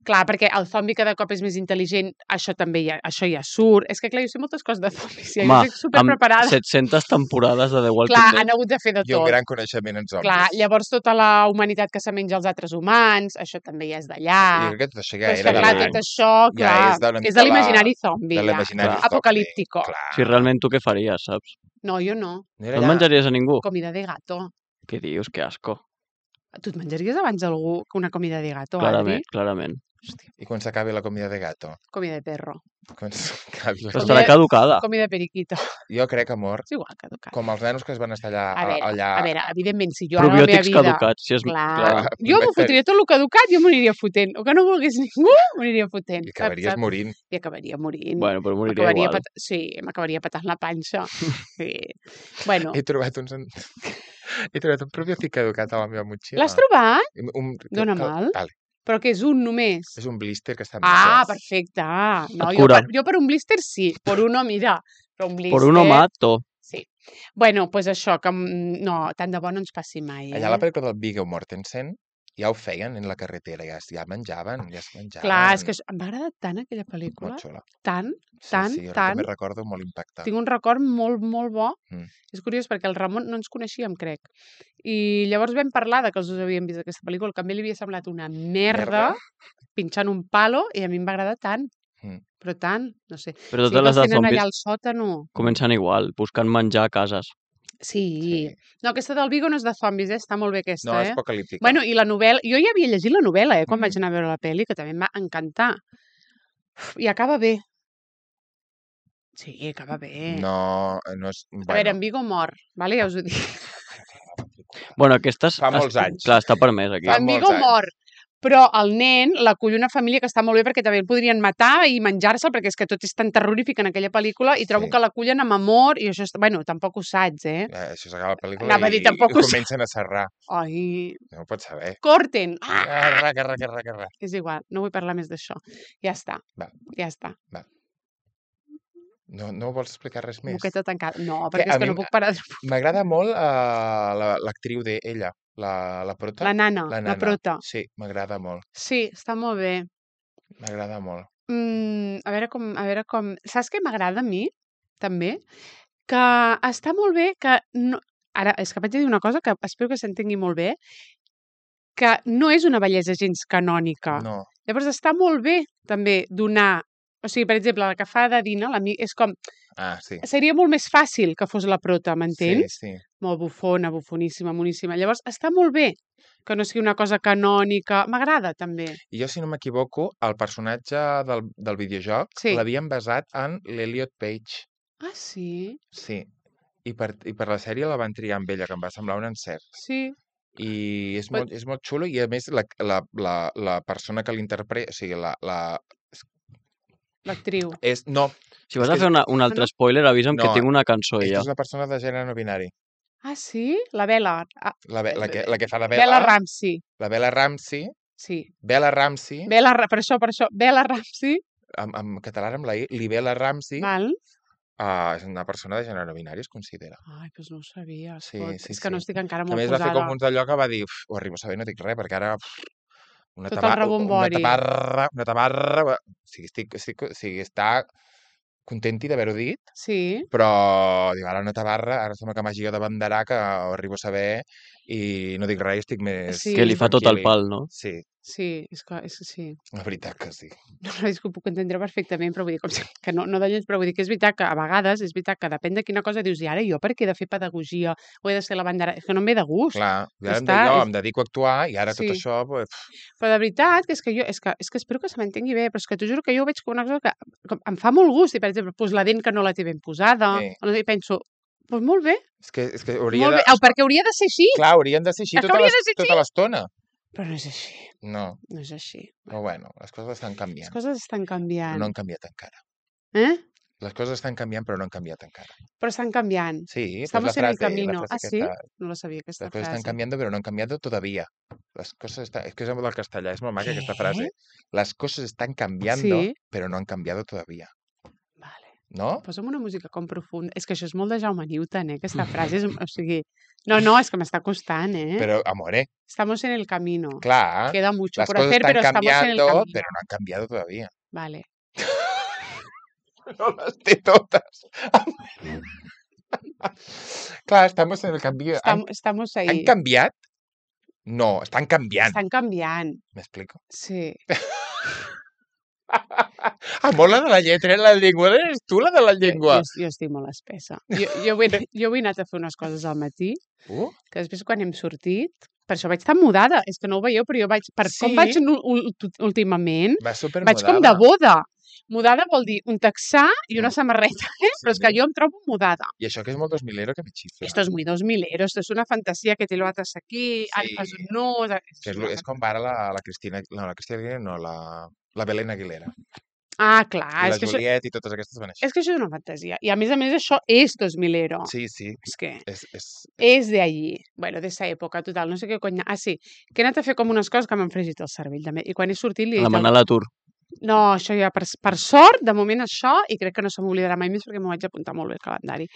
Clar, perquè el zombi cada cop és més intel·ligent, això també ja, això ja surt. És que, clar, jo sé moltes coses de zombis, ja Home, jo estic superpreparada. amb set-centes temporades de The Walking Clar, Dead. han hagut de fer de I un tot. gran coneixement en zombis. Clar, llavors tota la humanitat que se menja els altres humans, això també ja és d'allà. Jo crec que tot això ja Però és era que, de clar, la- tot això, ja clar, és de una és mica de la- l'imaginari zombi, de ja. l'imaginari Clar. zombi, Apocalíptico. clar. Si realment tu què faries, saps? No, jo no. No era No et allà. menjaries a ningú? Comida de gato. Què dius? Que asco. Tu et menjaries abans algú que una comida de gato, Clarament, Adri? clarament. I quan s'acabi la comida de gato? Comida de perro. Quan s'acabi la... Però Comida- estarà caducada. Comida de periquito. Jo crec, amor, És igual, caducat. com els nanos que es van estar allà... A veure, allà... a veure, evidentment, si jo ara la meva Probiòtics vida... caducats. Si és... Clar, Clar, jo m'ho vaig fer- fotria tot el caducat, jo m'aniria fotent. O que no volgués ningú, m'aniria fotent. I saps, acabaries saps? morint. I acabaria morint. Bueno, però moriria M'acabaria igual. pat... Sí, m'acabaria patant la panxa. Sí. Bueno, He trobat uns... en- He trobat un probiòtic caducat a la meva motxilla. l'has trobat? Un, un... Dóna que- mal? Vale. Però que és un només. És un blister que està... Ah, massa. perfecte. Ah, no, Et jo cura. per, jo per un blister sí, per uno, mira. Però un blister... Por uno mato. Sí. Bueno, doncs pues això, que mm, no, tant de bo no ens passi mai, eh? Allà a la pel·lícula del Viggo Mortensen ja ho feien en la carretera, ja, es- ja menjaven, ja es menjaven. Clar, és que això- em va agradar tant aquella Molt pel·lícula. xula. Tant, Sí, tant, sí, jo tant. també recordo molt impactant. Tinc un record molt, molt bo. Mm. És curiós perquè el Ramon no ens coneixíem, crec. I llavors vam parlar de que els dos havíem vist aquesta pel·lícula, que a mi li havia semblat una merda, Merda. pinxant un palo, i a mi em va agradar tant. Mm. Però tant, no sé. Però Sí totes que les els de tenen zombis allà al sòtano. comencen igual, buscant menjar a cases. Sí. Sí. No, aquesta del Vigo no és de zombis, eh? Està molt bé aquesta, No, és eh? apocalíptica. Bueno, i la novel·la... Jo ja havia llegit la novel·la, eh? Quan Mm. vaig anar a veure la pel·li, que també em va encantar. Uf, I acaba bé. Sí, acaba bé. No, no és... A veure, en Vigo mor, vale? Ja us ho dic. Bueno, aquestes... Fa molts es- anys. Clar, està permès aquí. Fa En molts Vigo anys. mor. Però el nen l'acull una família que està molt bé perquè també el podrien matar i menjar-se'l, perquè és que tot és tan terrorífic en aquella pel·lícula i trobo Sí. que l'acullen amb amor i això... És... Bueno, tampoc ho saps, eh? Eh, això s'acaba la pel·lícula Anava a i, dir, tampoc i ho sé. comencen a serrar. Ai... No ho pots saber. Corten! Ah! Garra, garra, garra, garra. És igual, no vull parlar més d'això. Ja està. Va. Ja està. No, no vols explicar res més? Boqueta tancada. No, Que perquè a és que mi no m- puc parar de... M'agrada molt uh, la- l'actriu d'ella, la, la prota. La nana, La la, nana. prota. Sí, m'agrada molt. Sí, està molt bé. M'agrada molt. Mm, a veure com... A veure com... Saps què m'agrada a mi, també? Que està molt bé que... No... Ara, és que vaig a dir una cosa que espero que s'entengui molt bé, que no és una bellesa gens canònica. No. Llavors està molt bé, també, donar... O sigui, per exemple, la que fa de Dina, la mi- és com... Ah, sí. Seria molt més fàcil que fos la prota, m'entens? Sí, sí. Molt bufona, bufoníssima, moníssima. Llavors, està molt bé que no sigui una cosa canònica. M'agrada, també. I jo, si no m'equivoco, el personatge del, del videojoc Sí. l'havien basat en l'Elliot Page. Ah, sí? Sí. I per, I per la sèrie la van triar amb ella, que em va semblar un encert. Sí. I és, Però- molt, és molt xulo i, a més, la, la, la, la persona que l'interpreta... O sigui, la, la... L'actriu. És, no, Si vas és a que fer una, un altre spoiler, avisa'm que No, tinc una cançó és que ja. és una persona de gènere no binari. Ah, sí? La Bella. Ah, La, Be- la, que, la que fa de Bella, Bella Ramsey. la Bella Ramsey, Sí. Bella Ramsey, Bella, Ra- per això, per això. Bella Ramsey. en, en català amb la I, Libela Ramsey, Val. uh, és una persona de gènere no binari, es considera. Ai, doncs no ho sabia. Sí, escolta. sí, és que no sí. estic encara Que a molt més va fer posada. com uns d'allò que va dir, "Uf, ho arribo a saber, no dic res, perquè ara... Uf, una, Tot el taba- una rebombori. tabarra, una tabarra... O sigui, estic, estic, o sigui, està contenti d'haver-ho dit, Sí. però dic, ara una tabarra, ara sembla que m'hagi de banderar, que ho arribo a saber, i no dic res, estic més... Sí. Que li fa tot el tranquil·li. pal, no? Sí, Sí, és que, és que sí. la veritat que sí. No, no, és que ho puc entendre perfectament, però vull dir, com si, que no, no de lleig, però vull dir que és veritat que a vegades és veritat que depèn de quina cosa dius, i ara jo per què he de fer pedagogia o he de ser la bandera? És que no em ve de gust. Clar, i Ja ara em, està, de, jo és- em dedico a actuar i ara Sí. tot això... Pues, Però de veritat, que és que jo, és que, és que espero que se m'entengui bé, però és que t'ho juro que jo ho veig com una cosa que, que em fa molt gust, i per exemple, pues, la dent que no la té ben posada, Sí. o no sé, i penso, pues molt bé, és que, és que hauria molt de... bé, oh, perquè hauria de ser així, Clar, haurien de ser així És que tota hauria l'es- de ser tota l'estona. però no és així, No, no és així. però bueno, les coses estan Les canviant. coses estan Però canviant. no han canviat encara. Eh? Les coses estan canviant, però no han canviat encara. Però estan canviant. Sí, Estamos pues la en el frase, camino. la frase Ah, sí? aquesta. No la sabia, aquesta Las cosas frase. están cambiando, pero no han cambiado todavía. Las cosas están... Es que és del castellà, és molt maca aquesta Què? frase. Las cosas están cambiando, Sí. pero no han cambiado todavía. Vale. No? Posa'm una música com profunda. És que això és molt de Jaume Newton, eh? Aquesta frase és... O sigui... No, no, és que m'està costant, eh? Pero, amore, Estamos en el camino. clar, Queda mucho las por cosas hacer, están pero estamos en el cambiando, camino. pero no han cambiado todavía. Vale. No las té totes. Clar, estamos en el cambio. Estam, ¿Han, estamos han ahí. canviat? No, estan canviant. Estan canviant. M'explico? Sí. Amor, la de la lletra, la llengua. Eres tu, la de la llengua. Jo, jo estic molt espessa. Jo, jo, avui, jo avui he anat a fer unes coses al matí, Uh, que després quan hem sortit... Per això vaig estar mudada. És que no ho veieu, però jo vaig... Per Sí. com vaig nu- ul- últimament, va super vaig com de boda. Mudada vol dir un texà i una samarreta, eh? Però és que jo em trobo mudada. I això que és molt dos milero que me xifla. Esto es muy dos milero, esto es una fantasía que te lo atas aquí, Sí. sí. fas un nus... Que és, lo- és com va ara la, la Cristina... No, la Cristina Aguilera no, la, la Belén Aguilera. Ah, clar, I és la que, això, Juliet i totes aquestes van així. és que això és una fantasia. I a més a més això és dos milero. Sí, sí. És que És, és... és de allí. Bueno, de esa època, total, no sé què cony... Ah, sí, que he anat a fer com unes coses que m'han fregit el cervell, també. I quan he sortit li he dit... Demanar al- l'atur. No, això ja, per, per sort, de moment això, i crec que no se m'oblidarà mai més perquè m'ho vaig apuntar molt bé al calendari.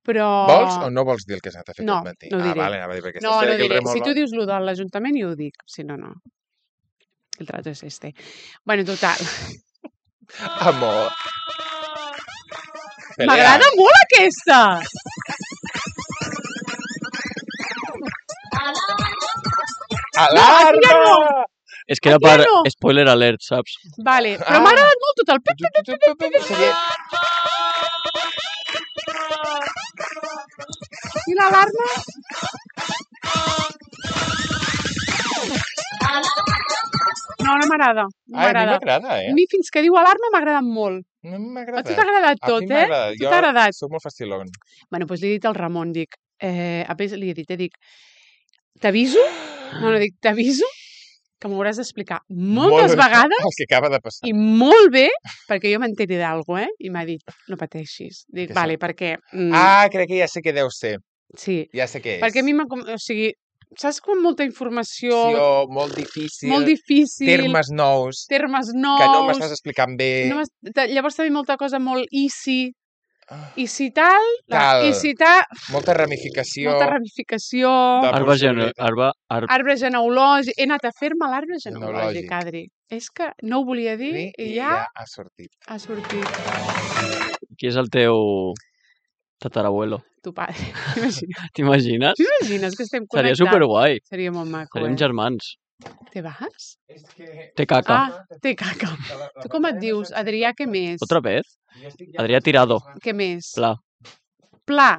Però... Vols o no vols dir el que has anat a fer No, aquest matí? no ho ah, diré. vale, anava a dir, perquè No, estàs no fent aquí el diré. Si remolc. tu dius lo de l'Ajuntament, jo ho dic. Si no, no. El trato es este. Bueno, total. Amor. Pelea. M'agrada molt aquesta! Alarma! aquí ja no. És que era Aquí ja per no. spoiler alert, saps? Vale, però Ah. m'ha agradat molt tot el... pip, pip, pip, pip, pip, pip. Seria... I l'alarma? No, no m'agrada. No Ai, a mi m'agrada. m'agrada, A eh? mi fins que diu alarma m'ha agradat molt. No m'ha A agradat. tu t'ha agradat A mi tot, m'ha eh? agradat. Tu t'ha agradat. Jo soc molt facilón. Bueno, doncs li he dit al Ramon, dic... Eh, a més, li he dit, eh, dic... T'aviso? No, no, dic, t'aviso que m'ho hauràs d'explicar moltes Molt bé. vegades El que acaba de passar. i molt bé, perquè jo m'enteri d'alguna, eh? I m'ha dit, no pateixis. Dic, Què vale, sap? perquè... Mm, Ah, crec que ja sé què deu ser. sí, Ja sé què és. perquè a mi m'ha... com- O sigui, saps com molta informació, Sí, o molt difícil. molt difícil, Termes nous. termes nous... Que no m'estàs explicant bé. no m'has- ta- llavors també molta cosa molt easy, Ah, easy tal, Tal. easy tal, molta ramificació. molta ramificació, de Arbre, gene, possibilitats. arbre, arbre, arbre genealògic... He anat a fer-me l'arbre Genealògic. genealògic, Adri. És que no ho volia dir Sí, i I ja ja ha sortit. ha sortit qui és el teu tatarabuelo? tu pare. T'imagines? T'imagines? T'imagines que estem Seria connectats? superguai. Seria molt maco, Serem eh? germans. Te vas? És que... Té caca. Ah, té caca. Tu com et dius? Adrià, què més? Otra vez? Adrià Tirado. Què més? Pla. Pla.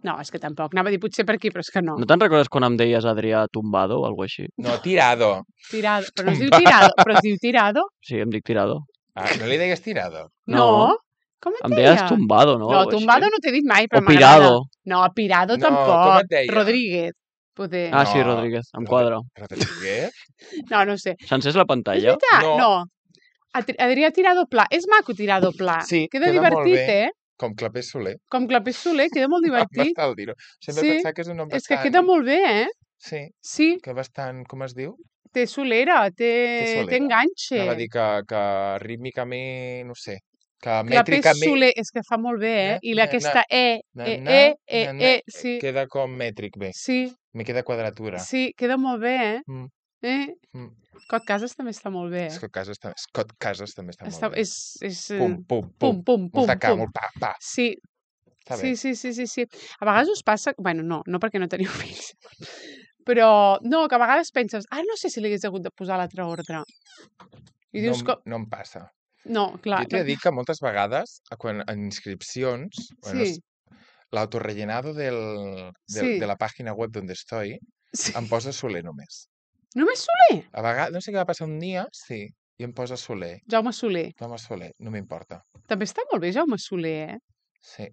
No, és que tampoc. Anava a dir potser per aquí, però és que no. No te'n recordes quan em deies Adrià Tumbado o alguna així? No, tirado. Tirado. Però no es diu tirado. Però es diu tirado? Sí, em dic Tirado. Ah, no li deies tirado? No. No. Com et Em deies deia? Tumbado, no? No, Algo així. tumbado no t'he dit mai, però O m'agrada. Pirado. No, pirado No, com tampoc. et deia? Rodríguez. Poder. Ah, sí, No. Rodríguez. Em quadra. Rodríguez? No, no ho sé. S'encés la És pantalla? veritat? No. No. Adri- Adrià Tirado Pla. És maco Tirado Pla. Sí, Queda, queda molt divertit, bé. eh? Com Clapés Soler. Com Clapés Soler, queda molt divertit. Bastant dir-ho. Sempre Sí. he pensat que és un nom És que bastant... queda molt bé, eh? Sí, Sí, que bastant... Com es diu? té solera, té, solera. té enganxe. Anava a dir que, que rítmicament, no sé, que Clapés mètricament Soler, és que fa molt bé, eh? Na, I na, aquesta E, na, E, na, E, E, na, na, E, sí, queda com mètric bé. sí, Me queda quadratura. sí, queda molt bé, eh? Mm, eh? mm. Cot Casas també està molt bé, eh? Scott Casas, també- Scott Casas també està, Està, molt bé. és, és... eh, Pum, pum, pum, pum. pum, pum, Molta ca, pum. molt pa, pa. Sí, Està sí, bé. sí, sí, sí, sí. A vegades us passa... Bueno, no, no perquè no teniu fills. Però, no, que a vegades penses, ah, no sé si li hagués hagut de posar l'altre ordre. I dius no, que... no em passa. No, clar. Jo t'he de dir que moltes vegades, a quan, en inscripcions, bueno, Sí. es- l'autorrellenado del, del, Sí. de la pàgina web donde estoy, Sí. em posa Soler només. Només Soler? A vegades, no sé què va passar un dia, sí, i em posa Soler. Jaume Soler. Home, Soler, no m'importa. També està molt bé Jaume Soler, eh? Sí.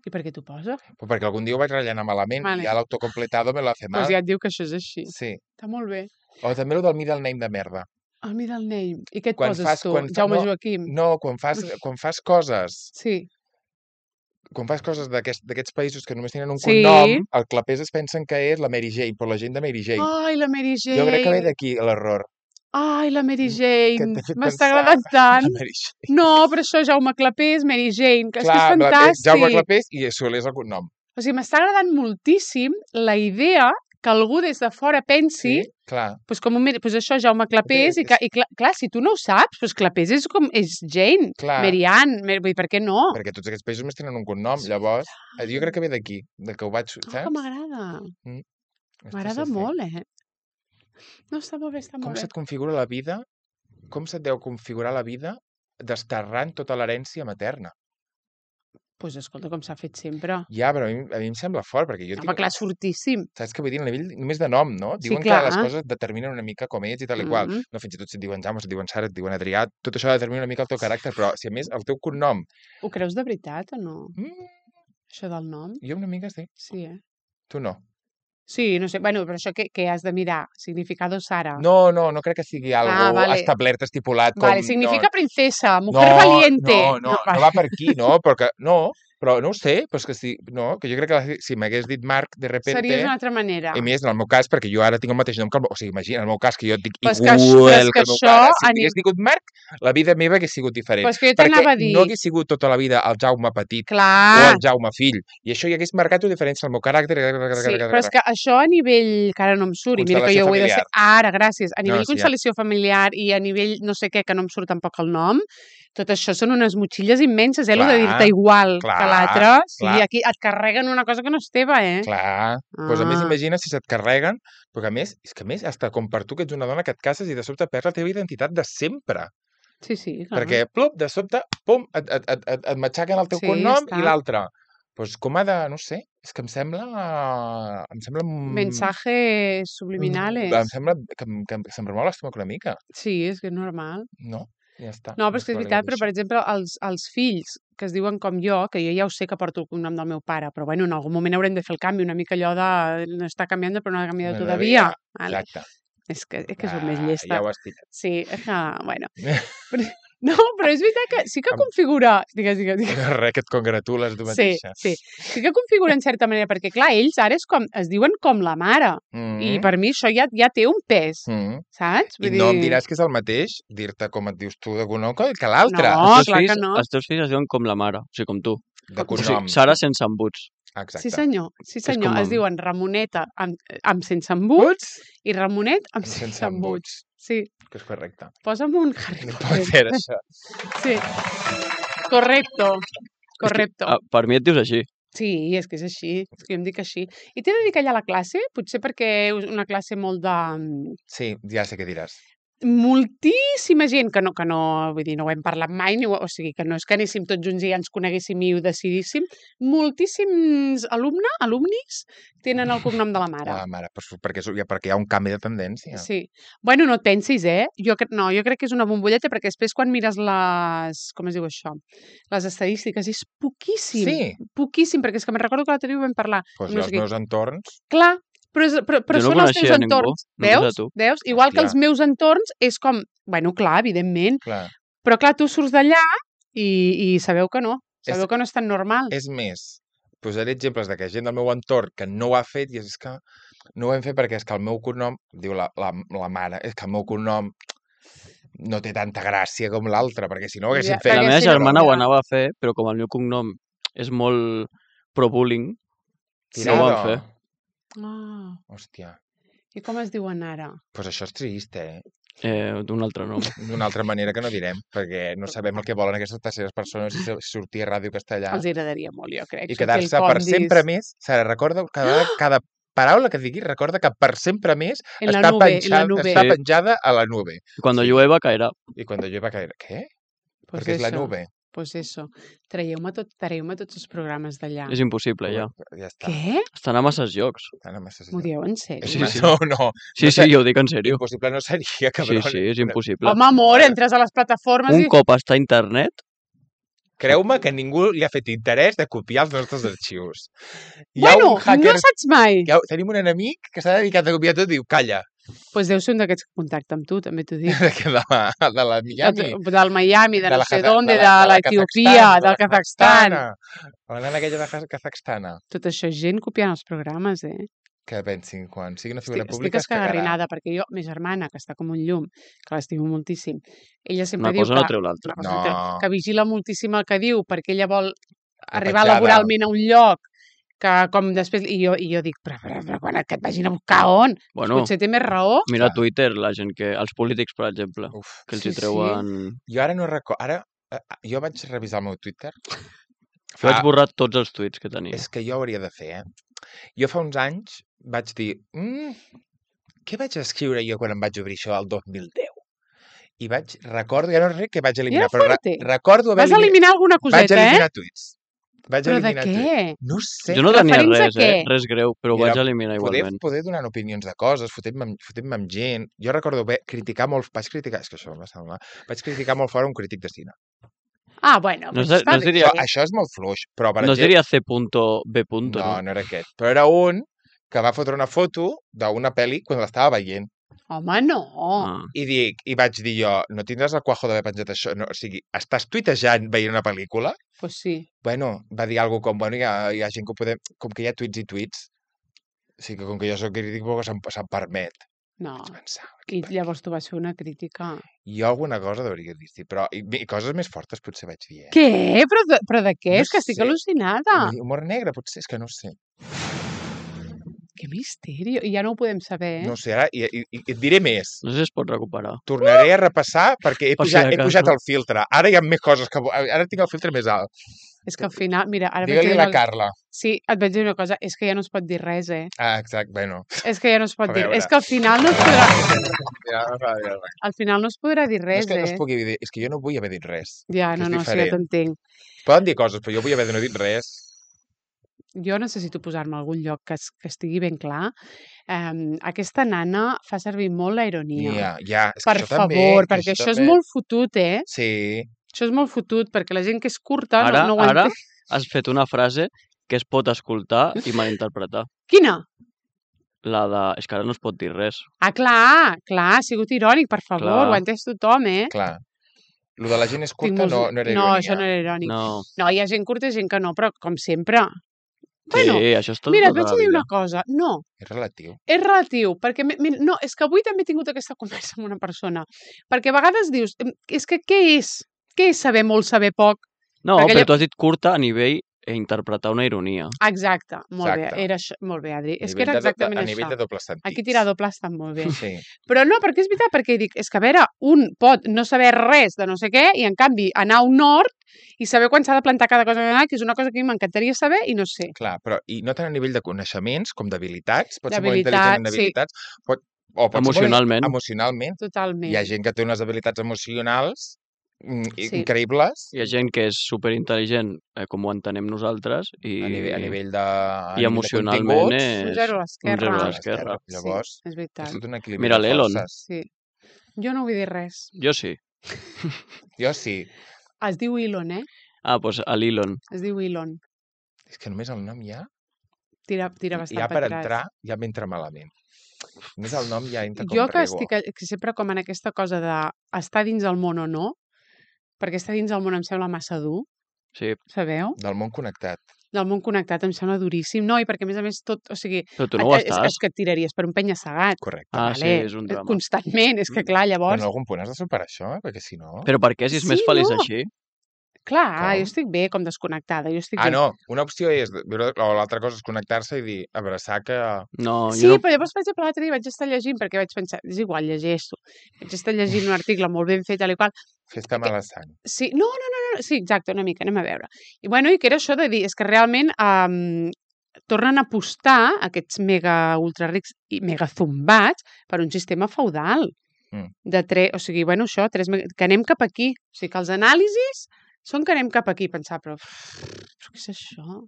I per què t'ho posa? Pues perquè algun dia ho vaig rellenar malament Vale. i ja l'autocompletado me lo hace mal. Doncs ja et diu que això és així. Sí. Està molt bé. O també el del middle name de merda. El middle name. I què et Quan poses fas- tu? quan fa- Jaume no, Joaquim? No, quan fas, quan fas coses, Sí. quan fas coses d'aquest- d'aquests països que només tenen un Sí. cognom, el clapés es pensen que és la Mary Jane, però la gent de Mary Jane. Ai, la Mary Jane. Jo crec que ve d'aquí l'error. Ai, la Mary que Jane, t'he fet m'està pensar agradant tant. en Mary Jane. No, però això, Jaume Clapés, Mary Jane, que és que és Clar, me la- eh, Jaume fantàstic. Clapés i Soler és el cognom. O sigui, m'està agradant moltíssim la idea que algú des de fora pensi, Sí, clar. pues com un, Mary- pues això, Jaume Clapés, i, que, i clar, clar, si tu no ho saps, pues Clapés és com, és Jane, Clar. Mary Ann, Mary, vull dir, per què no? Perquè tots aquests països més tenen un cognom, llavors, eh, jo crec que ve d'aquí, de que ho vaig, Oh, saps? que m'agrada. Esto M'agrada és així. molt, eh? No, està molt bé, està Com molt bé. se't configura la vida, com se't deu configurar la vida desterrant tota l'herència materna? Pues escolta, com s'ha fet sempre. Ja, però a mi, a mi em sembla fort, perquè jo Home, tinc... clar, és fortíssim. Saps què vull dir? A nivell només de nom, no? Sí, Diuen clar. que les coses determinen una mica com ets i tal i qual. Mhm. No, fins i tot si et diuen Jaume, si et diuen Sara, et diuen Adrià, tot això determina una mica el teu caràcter, però si a més el teu cognom... Ho creus de veritat o no? Mm, Això del nom? jo una mica sí, Sí, eh? tu no. Sí, no sé, bueno, però això què, què has de mirar? Significado Sara. No, no, no crec que sigui algo Ah, vale. establert, estipulat. Com, Vale, significa no, princesa, no, mujer valiente. No, no, no, vale. va per aquí, no, perquè, no, però no ho sé, però és que si, no, que jo crec que la- si m'hagués dit Marc, de repente... Seria d'una altra manera. I més, en el meu cas, perquè jo ara tinc el mateix nom que el meu... O sigui, imagina, en el meu cas, que jo et dic Però és que això- igual però és que que el meu això pare, si a hagués ni- digut Marc, la vida meva hagués sigut diferent. Però és que jo perquè t'anava a dir... no hagués sigut tota la vida el Jaume petit o Clar, el Jaume fill. I això hi hagués marcat una diferència al meu caràcter. sí, però és que això a nivell, que ara no em surt, i mira que jo ho he de ser... Ara, gràcies. A nivell No, sí, ja. constel·lació familiar i a nivell no sé què, que no em surt tampoc el nom, tot això són unes motxilles immenses, eh? Clar, Clar, de dir-te igual clar, que l'altre. Sí, clar. aquí et carreguen una cosa que no és teva, eh? Clar, doncs a més Ah. imagina si se't carreguen, perquè a més, és que a més, hasta com per tu que ets una dona que et cases i de sobte perds la teva identitat de sempre. Sí, sí, clar. Perquè, plup, de sobte, pum, et, et, et, et, et matxaquen el teu Sí, cognom està. i l'altre. Doncs com ha de, no sé, és que em sembla... Em sembla... mm, Mensajes subliminales. Em sembla que, em- que, em- que se'm remou l'estómac una mica, Sí, és que és normal. no? Ja està. No, però és que és m'ha veritat, però per agradat exemple, els, els fills que es diuen com jo, que jo ja ho sé que porto el cognom del meu pare, però bueno, en algun moment haurem de fer el canvi, una mica allò de no està canviant, però no ha canviat això. todavía. Exacte. Vale. Exacte. És que, és que soc més Ah, llesta. Ja ho has tirat. Sí, és que, bueno. Però, no, però és veritat que sí que Am- configura... Digues, digues, digues. Res, que et congratules tu Sí, mateixa. sí. Sí que configura en certa manera, perquè clar, ells ara és com, es diuen com la mare. Mm. I per mi això ja, ja té un pes, Mm. saps? I no em diràs que és el mateix dir-te com et dius tu de cognom que que l'altre. No. els, teus clar que fills, no. els teus fills es diuen com la mare, o sigui, com tu. De O cognom. sigui, Sara sense embuts. Exacte. Sí senyor, sí És senyor. com Es amb- diuen Ramoneta amb, amb sense embuts i Ramonet amb sense, Sense embuts. embuts. Sí, Que és correcte. posa'm un Harry No pot Potter. ser això. Sí. Correcto. Correcto. Ah, per mi et dius així. Sí, és que és així. És que jo em dic així. I t'he de dir que allà a la classe, potser perquè és una classe molt de... Sí, ja sé què diràs. moltíssima gent que no, que no, vull dir, no ho hem parlat mai, ni ho, o sigui, que no és que anéssim tots junts i ja ens coneguéssim i ho decidíssim, moltíssims alumne, alumnis, tenen el cognom de la mare. La mare, però perquè, és- ja- perquè hi ha un canvi de tendència. Sí. Bueno, no et pensis, eh? Jo, cre- no, jo crec que és una bombolleta perquè després quan mires les... Com es diu això? Les estadístiques, és poquíssim. Sí. Poquíssim, perquè és que me'n recordo que l'altre dia ho vam parlar. Pues amb no els sé qui. meus entorns... Clar, però, és, però, però Jo no són els teus coneixia ningú, entorns. només a Veus? tu. Veus? Igual que els Hòstia. meus entorns és com... Bueno, clar, evidentment. Clar, Però clar, tu surts d'allà i, i sabeu que no. Sabeu És- que no és tan normal. és més, posaré exemples de que gent del meu entorn que no ho ha fet i és que no ho hem fet perquè és que el meu cognom, diu la, la, la mare, és que el meu cognom no té tanta gràcia com l'altre, perquè si no ho haguéssim Ja, fet... La perquè meva si no- germana ho ja. anava a fer, però com el meu cognom és molt pro-bullying, no ho van fer. Ah, Hòstia, i com es diuen ara? doncs pues això és trist, eh? Eh, d'un altre nom. D'una altra manera que no direm, perquè no sabem el que volen aquestes terceres persones si sortir a Ràdio Castellà Els agradaria molt, jo crec. i sortir quedar-se al per Condis, sempre més. Sara, recorda, cada, cada paraula que digui, recorda que per sempre més En la està, nube, en la penjada, nube. està Sí. penjada a la nube. Cuando Sí. llueva caerà. I quan llueva caerà... Què? Pues Perquè és la eso, nube. Pues eso. Traieu-me tot, traieu-me tots els programes d'allà. És impossible, ja. Ja està. Què? Estan a masses llocs. Estan a masses M'ho llocs. dieu en sèrio? Sí, sí. No, no. Sí, No sí, sé. jo ho dic en sèrio. Impossible no seria, Sí, cabrón. sí, és impossible. Home, amor, entres a les plataformes Un i... cop està a internet, Creu-me que ningú li ha fet interès de copiar els nostres arxius. Hi ha Bueno, un hacker... no saps mai. hi ha- Tenim un enemic que s'ha dedicat a copiar tot i diu, calla, Doncs pues deu ser un d'aquests que contacta amb tu, també t'ho dic. de, la, de la Miami. Del Miami, de, de no la sé Kaza- d'on, de, de la- de la l'Etiopia, Kazakhstan, de del la Kazakhstan. La nana aquella de Kaz- Kazakhstana. Tot això és gent copiant els programes, eh? que pensin quan sigui una figura Estic, estic pública es cagarà. escagarrinada, perquè jo, ma germana, que està com un llum, que l'estimo moltíssim, ella sempre Una diu cosa que, no treu l'altra. una cosa no treu- No. que vigila moltíssim el que diu, perquè ella vol arribar petjada. laboralment a un lloc que com després... I jo, i jo dic, però, però, però quan et vagin a buscar on? Bueno, Potser té més raó. mira Clar. a Twitter, la gent que... Els polítics, per exemple, Uf. que els Sí, hi treuen... Jo ara no recordo... Ara, eh, jo vaig revisar el meu Twitter. Jo vaig borrar tots els tuits que tenia. És que jo hauria de fer, eh? Jo fa uns anys vaig dir... Mm, què vaig escriure jo quan em vaig obrir això el dos mil deu? I vaig... Recordo... Ja no sé què vaig eliminar, Era però re, fuerte. recordo haver Vas eliminar alguna Vaig coseta, eh? eliminar tuits. Vaig Però de eliminar tuits. què? No sé. Jo no tenia referents a res, eh? què? Res greu, però ho Mira, vaig eliminar Poder, igualment. poder donar opinions de coses, fotent-me amb, fotent amb gent. Jo recordo bé, criticar molt... Vaig criticar... És que això em va semblar... Vaig criticar molt fort un crític de cine. Ah, bueno, No pues es- està no es bé. diria- Això, això és molt fluix, però per No es exemple... diria C punto B punto, No, no? no era aquest. Però era un que va fotre una foto d'una pel·li quan l'estava veient. Home, no. Ah. I dic, i vaig dir jo, no tindràs el cuajo d'haver penjat això? No, o sigui, estàs tuitejant veient una pel·lícula? Pues sí. Bueno, va dir alguna com, bueno, hi ha, hi ha gent que ho podem... Com que hi ha tuits i tuits, o sigui que com que jo soc crític, pues se'm, se'm permet. No. Vaig pensar, I llavors tu vas fer una crítica. jo alguna cosa hauria dit, sí, però i, i coses més fortes potser vaig dir, eh? Què? Però de, però de què? No és que estic sé. al·lucinada. Humor negre, potser, és que no ho sé. Que misteri. I ja no ho podem saber, eh? No ho sé, ara i, i, i et diré més. No sé si es pot recuperar. Tornaré a repassar perquè he Per si pujat, de he cas, pujat no? el filtre. Ara hi ha més coses que... vo- Ara tinc el filtre més alt. És que al final, mira, ara vaig Digue-li dir a la una... Carla. Sí, et vaig dir una cosa, és que ja no es pot dir res, eh? Ah, exacte, bueno. És que ja no es pot A dir. veure. És que al final no es podrà... Ja, no cal dir res. Al final no es podrà dir No res, és que no es eh? pugui dir... És que jo no vull haver dit res. Ja, que no, és no, sí, ja diferent. t'entenc. Poden dir coses, però jo vull haver de no dit res. Jo necessito posar-me a algun lloc que, es, que estigui ben clar. Um, aquesta nana fa servir molt la ironia. Ja, ja. És que Per això també, favor, que perquè això és també. molt fotut, eh? Sí. Això és molt fotut, perquè la gent que és curta Ara, no, no ho ara entén. has fet una frase que es pot escoltar i malinterpretar. Quina? La de... És que ara no es pot dir res. Ah, clar, clar, ha sigut irònic, per favor, Clar. ho ha entès tothom, eh? Clar. Lo de la gent és Tinc curta molts- no, no era No, ironia. això no era irònic. No. No. hi ha gent curta i gent que no, però com sempre. Sí, Bueno, això és tot mira, et tota vaig la a dir vida. una cosa. No, És relatiu. és relatiu, perquè... mi- mi- No, és que avui també he tingut aquesta conversa amb una persona. Perquè a vegades dius, "Em, és que què és? Què és saber molt, saber poc? No, perquè però ella- tu has dit curta a nivell e interpretar una ironia. Exacte, molt Exacte. bé, era això, molt bé, Adri. A És que nivell era de do- exactament A això. nivell de doble sentit. Aquí tirar doble està molt bé. Sí. Però no, perquè és veritat, perquè dic, és que a veure, un pot no saber res de no sé què i en canvi anar a un nord i saber quan s'ha de plantar cada cosa, que és una cosa que a mi m'encantaria saber i no sé. Clar, però i no tant a nivell de coneixements com d'habilitats. Pot ser molt D'habilitats, intel·ligent en sí. habilitats. Pot, o pot ser molt Emocionalment. emocionalment. Totalment. Hi ha gent que té unes habilitats emocionals mm, i- Sí. increïbles Hi ha gent que és superintel·ligent, eh, com ho entenem nosaltres, i, a nivell, a nivell de a i nivell de emocionalment continguts. és... Un zero a l'esquerra. un zero a Clar, l'esquerra. Llavors, Sí, és veritat. és tot un equilibri Mira de l'Elon. forces. Sí. Jo no vull dir res. Jo sí. Jo sí. Es diu Elon, eh? Ah, doncs a l'Elon. Es diu Elon. És que només el nom ja, Tira, tira bastant ja per atràs. entrar, ja m'entra malament. Només el nom ja entra com Jo que rego. estic a- que sempre com en aquesta cosa de estar dins el món o no, perquè estar dins el món em sembla massa dur, Sí, sabeu? Del món connectat. Del món connectat em sembla duríssim. No, i perquè a més a més tot, o sigui, però tu no ho et- és, estàs. és que et tiraries per un penya-segat. Correcte. Ah, sí, vale? és un drama. Constantment, és que clar, Però llavors... en algun punt has de superar això, eh? perquè si no... Però per què, si és més Sí, feliç no. així? Clar, Com? jo estic bé com desconnectada, jo estic Ah, bé. no, una opció és, viure- o l'altra cosa és connectar-se i dir, abraçar que... No, Sí, jo no... però llavors, per exemple, l'altre dia vaig estar llegint, perquè vaig pensar, és igual, llegeixo. Vaig estar llegint un article molt ben fet, tal i qual. Festa mala sang. Sí, no, no, no, no, sí, exacte, una mica, anem a veure. I bueno, i que era això de dir, és que realment um, tornen a apostar aquests mega ultra rics i mega zumbats per un sistema feudal. Mm. De tre... O sigui, bueno, això, tres... me- que anem cap aquí. O sigui, que els anàlisis són que anem cap aquí, pensar, però, però què és això?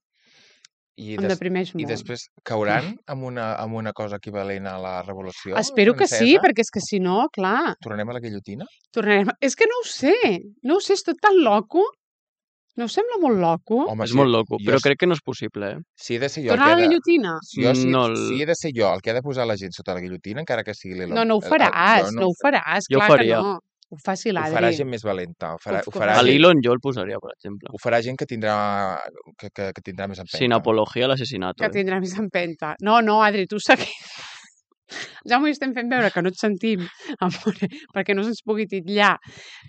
I, Em des... deprimeix I molt. després cauran amb una, amb una cosa equivalent a la revolució Espero que sí, francesa? perquè és que si no, clar, Tornem a la guillotina? tornarem... És que no ho sé, no ho sé, és tot tan loco. No us sembla molt loco? Home, És molt loco, jo però s- crec que no és possible, eh? Si he de ser jo el Tornar a que la ha de... guillotina? Si, jo, si, No el- si he de ser jo el que ha de posar la gent sota la guillotina, encara que sigui l'Elon... No, no ho el- el- faràs, jo no ho faràs, Jo ho clar faria. que no. ho faci Ho l'Adri. farà gent més valenta. Ho farà, Que ho- ho que ho farà, faci. A gent, l'Elon jo el posaria, per exemple. ho farà gent que tindrà, que, que, que tindrà més empenta. Sin apología al asesinato. Que Eh? tindrà més empenta. No, no, Adri, tu segueix. Jaume, estem fent veure que no et sentim, amore, perquè no se'ns pugui titllar.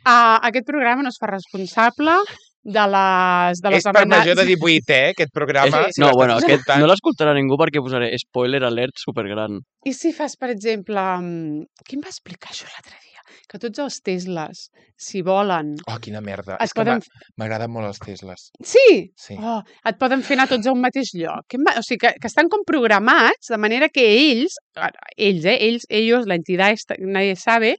Uh, aquest programa no es fa responsable de les, de les És per major de divuit, eh, aquest programa. És- Si no, l'estàs bueno, aquest escoltant. no l'escoltarà ningú perquè posaré spoiler alert supergran. I si fas, per exemple... mm, Qui em va explicar això l'altre dia? Que tots els Tesles, si volen... Oh, quina merda. Es És que poden... m'ha- m'agraden molt els Tesles. Sí! Sí. Oh, et poden fer anar tots a un mateix lloc. Que em va- O sigui, que, que estan com programats de manera que ells, ells, eh, ells, ells, l'entitat, esta- nadie sabe,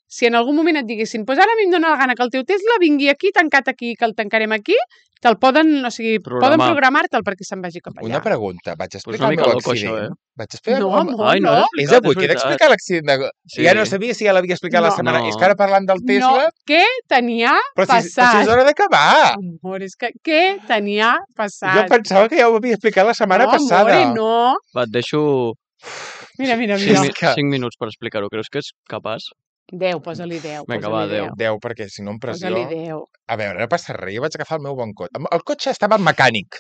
si en algun moment et diguessin pues ara a mi em dóna la gana que el teu Tesla vingui aquí, tancat aquí, que el tancarem aquí, te'l poden, o sigui, Programar. poden programar-te'l perquè se'n vagi cap allà. Una pregunta. Vaig explicar una el mica meu loco, accident. això, eh? Vaig explicar... No, home, amor, Ai, no no. l'he És explicat, avui que he veritat. d'explicar l'accident de... Sí. Ja no sabia si ja l'havia explicat la No. setmana... No. És que ara parlant del Tesla... No, què tenia Però si, però si passat? és hora d'acabar! Amor, és que què tenia passat? Jo pensava que ja ho havia explicat la setmana no, passada. Amore, no. Va, et deixo Mira, mira, Sí, mira. és que- cinc minuts per explicar-ho. Creus que és capaç? Deu, posa-li deu. Vinga, posa-li va, deu. deu. Deu, perquè si no em pressió... Posa-li deu. A veure, no passa res, jo vaig agafar el meu bon cotxe. El cotxe estava mecànic.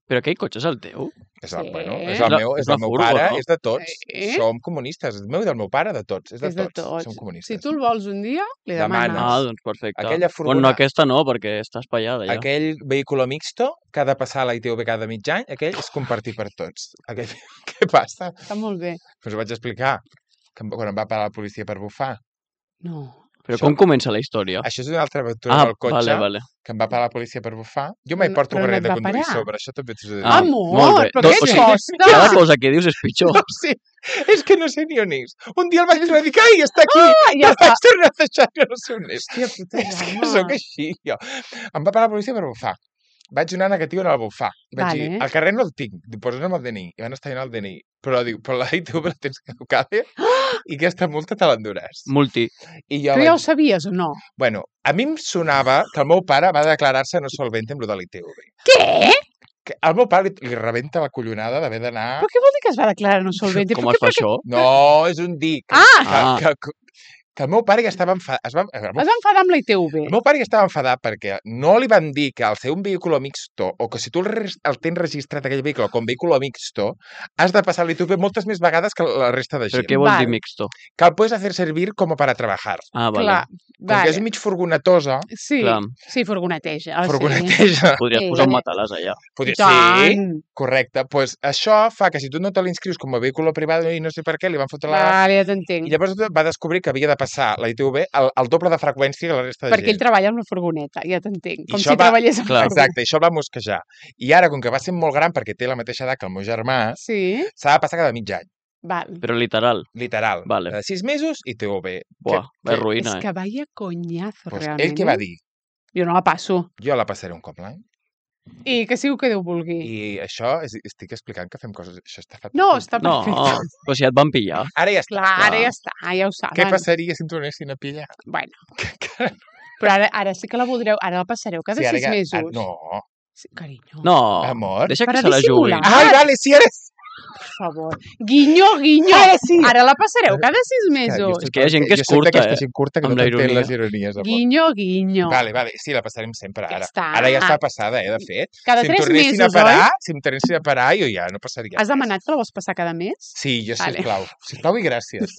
Però aquell cotxe és el teu? És el, Sí. bueno, és És el la- meu, és és del una meu furgo, pare, no? és de tots. Sí. Som comunistes, és meu i del meu pare, de tots. És de, És de tots. tots. Som comunistes. Si tu el vols un dia, li Demanes. demanes. Ah, doncs perfecte. Aquella Bueno, furgona- no, aquesta no, perquè està espaiada ja. Aquell vehicle mixto que ha de passar a la I T V cada mig any, aquell és compartit per tots. Aquell... Què passa? Està molt bé. Doncs ho vaig explicar, que em- quan em va parar la policia per bufar. No. Però Això- com comença la història? Això és una altra aventura Ah, amb el cotxe, vale, vale. que em va parar la policia per bufar. Jo mai Però no- porto però no carnet et de va conduir parar. sobre, això també t'ho he de dir. Ah, Amor, molt bé. però No, què o sigui, costa? Cada cosa que dius és pitjor. No, sí, és que no sé ni on és. Un dia el vaig tornar a dir que ai, està aquí, Ah, i ja el està. vaig tornar a deixar, que no sé on és. Hòstia puta, És que Jaume. sóc així, jo. Em va parar la policia per bufar. Vaig donar negatiu en el bufar. Vaig Vale. dir, el carrer no el tinc, diu, posa'm el D N I. I van estar en el D N I. Però diu, però la I T V la tens caducada i aquesta multa te l'enduràs. Multi. I jo Tu ja ho vaig... sabies o no? Bueno, a mi em sonava que el meu pare va declarar-se no solvente amb lo de l'I T V. Què? Que al meu pare li, li rebenta la collonada d'haver d'anar... Però què vol dir que es va declarar no solvent? Com es fa això? No, és un dir. Que, Ah! que, que, que el meu pare ja estava enfadat. Es va, el, meu, Es va enfadar amb la I T V. el meu pare ja estava enfadat perquè no li van dir que al ser un vehicle mixto o que si tu el, res- el tens registrat aquell vehicle com vehicle mixto has de passar l'I T V moltes més vegades que la resta de Però gent. què vol Val. dir mixto? Que el puedes hacer servir como para trabajar. Ah, vale. Clar, Com que vale. és mig furgonetosa, Sí, Clar. sí, furgoneteja. Ah, furgoneteja, Podries Sí. posar un matalàs allà. podria Sí. ser, Tant. correcte. Pues això fa que si tu no te l'inscrius com a vehicle privat i no sé per què, li van fotre la... Vale, ja t'entenc. I llavors va descobrir que havia de passar la I T V el, el doble de freqüència que la resta de Perquè ell gent. treballa amb la furgoneta, ja t'entenc. I Com això si va- treballés amb Clar. la Exacte, i això el va mosquejar. I ara, com que va ser molt gran, perquè té la mateixa edat que el meu germà, Sí, s'ha de passar cada mig any, val. Però literal. literal. Vale. De sis mesos i T V. Buah, que- és És ruïna, eh? que vaya coñazo, Pues realment. ell què va eh? dir? Jo no la passo. Jo la passaré un cop l'any. I que sigui el que Déu vulgui. I això, és, estic explicant que fem coses... Això està fatal. No, està No, perfecte. però si et van pillar. Ara ja està. Clar, ara clar. ja està, ja ho saben. Què passaria si em tornessin a pillar? Bueno, però ara, ara sí que la voldreu, ara la passareu cada Sí, ara sis ja- mesos. ah, no, Sí, carinyo, No, amor. deixa que Per a se la jugui. dissimular. Ai, vale, sí, ara sí. per favor. Guinyo, guinyo. Ara sí. Ara la passareu cada sis Jo mesos. soc- És que hi ha gent que és jo soc curta, d'aquesta eh, gent curta que amb no la t'entén ironia. les ironies. amor. Guinyo, guinyo. Vale, vale, sí, la passarem sempre, Ja ara. està. Ara ja està passada, eh, de fet. Cada si em tres tornessin mesos, a parar, oi? si em tornessin a parar, jo ja no passaria. Has demanat que la vols passar cada mes? Sí, jo, Vale. sisplau. Sisplau i gràcies.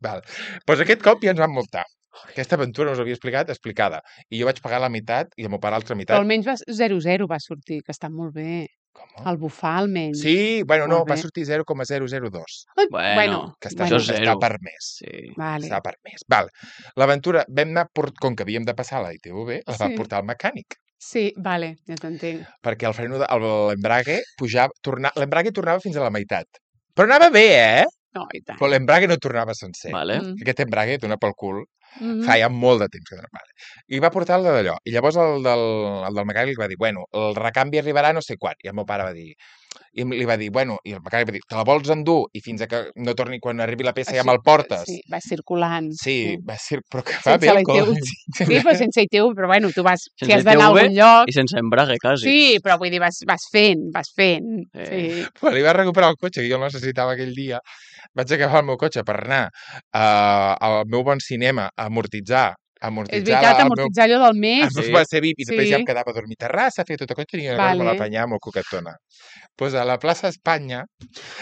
Val. Pues aquest cop ja ens van multar. Aquesta aventura no us havia explicat, explicada. I jo vaig pagar la meitat i el meu pare l'altra Però meitat. almenys va, zero zero va sortir, que està molt bé. Com? El bufar, almenys. Sí, bueno, no, Molt va bé. sortir zero coma zero zero dos. Ai, Bueno, bueno, Que està, Això bueno, és està zero. per més. Sí. vale. Està per més. Val. L'aventura, vam anar, port... com que havíem de passar la I T V, la vam Sí. portar al mecànic. Sí, vale, ja t'entenc. Perquè el freno, de... el- l'embrague pujava, torna... l'embrague tornava fins a la meitat. Però anava bé, eh? No, i tant. Però l'embrague no tornava sencer. Vale. Mm. Aquest embrague et dona pel cul. Mhm. Fa ja molt de temps que no vale. I va portar el d'allò. I llavors el del, el del mecànic li va dir, bueno, el recanvi arribarà no sé quan. I el meu pare va dir, i li va dir, bueno, i el mecànic va dir, te la vols endur? I fins a que no torni, quan arribi la peça ja Així, me'l portes. Sí, va circulant. Sí, va ser... Però que va Sense bé la el col. I T V. Sí, però sense I T V, però bueno, tu vas, si Sense has d'anar a I T V algun lloc... I sense embrague, quasi. Sí, però vull dir, vas, vas fent, vas fent. Eh. Sí. Quan li va recuperar el cotxe, que jo el necessitava aquell dia, vaig agafar el meu cotxe per anar uh, al meu bon cinema a amortitzar És amortitzar veritat, el meu... amortitzar allò del mes. El meu Sí. va ser V I P i després Sí. ja em quedava a dormir a terrassa, feia tot el que tenia una cosa, me Vale. l'apanyava molt coquetona. Doncs a la plaça Espanya,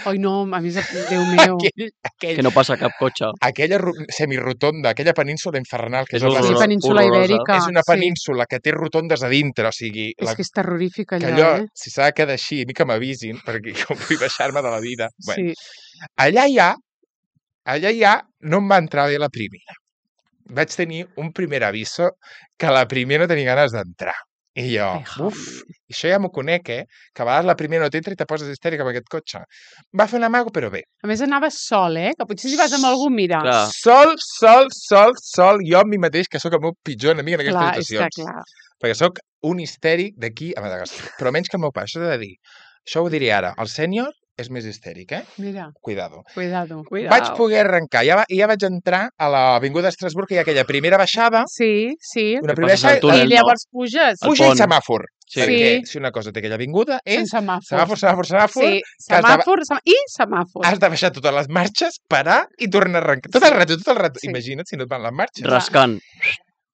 Ai, no, a mi, Déu meu. aquell, aquell, Que no passa cap cotxe. aquella ru- semirotonda, aquella península infernal, que És és, la Sí, horrorosa. plaça- península horrorosa. ibèrica. és una sí. península que té rotondes a dintre, o sigui, És la, que és terrorífic que allò, allò, eh? si s'ha de quedar així, a mi que m'avisin, perquè jo vull baixar-me de la vida. Bueno, Sí. allà ja, allà ja no em va entrar bé la primera. Vaig tenir un primer aviso que la primera no tenia ganes d'entrar. I jo, Ai, uf, Javi. això ja m'ho conec, eh? Que a vegades la primera no t'entra i te poses histèrica amb aquest cotxe. Va fer un amago, però bé. A més, anaves sol, eh? Que potser si vas amb algú, mira. Clar. Sol, sol, sol, sol, jo amb mi mateix, que sóc el meu pitjor enemic en aquestes Clar, és que situacions. clar. Perquè sóc un histèric d'aquí a Madagascar. Però menys que el meu pare, això he de dir. Això ho diré ara. El sènior és més histèric, eh? Mira, Cuidado. cuidado. Vaig poder arrencar. Ja, va, ja vaig entrar a l'avinguda d'Estrasburg, que hi ha aquella primera baixada, Sí, sí. una Que primera passes el baixada, túnel, I llavors puges El puja i pont. semàfor. Sí. Perquè Sí. si una cosa té aquella avinguda és sense semàfors. semàfor, semàfor, semàfor, Sí, que has de- semàfor semà- i semàfor. has de baixar totes les marxes, parar i tornar a arrencar. Tot el rato, tot el rato. Sí. Imagina't si no et van les marxes. Rascant.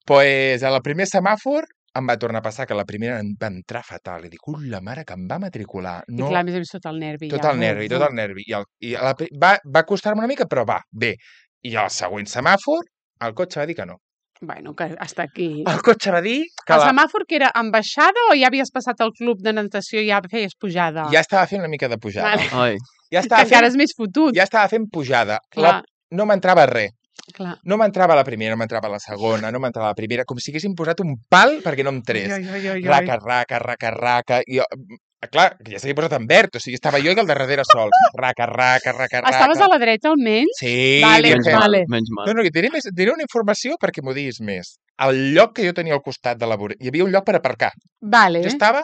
Pues a la primer semàfor em va tornar a passar que la primera em va entrar fatal. I dic, ui, la mare que em va matricular. I No, clar, a més a més, tot el nervi. tot ja. el nervi, tot el nervi. I, el, i a la, pri- va, va costar-me una mica, però va, bé. I al següent semàfor, el cotxe va dir que no. Bueno, que hasta aquí. El cotxe va dir que El la, semàfor que era en baixada o ja havies passat al club de natació i ja feies pujada? ja estava fent una mica de pujada. Vale. Ai, Ja Que estava encara fent, és més fotut. ja estava fent pujada. Clar, La, no m'entrava res. clar. No m'entrava la primera, no m'entrava la segona, no m'entrava la primera, com si haguessin posat un pal perquè no em tres. Ai, ai, ai, ai. Raca, raca, raca, raca. I jo, mm, clar, que ja s'havia posat en verd, o sigui, estava jo i el de darrere sol. Raca, raca, raca, raca. Estaves a la dreta almenys? Sí, Vale, menys virgen. mal, vale. menys mal. No, no, que diré, més, diré una informació perquè m'ho diguis més. Al lloc que jo tenia al costat de la vorera, hi havia un lloc per aparcar. Vale. Jo estava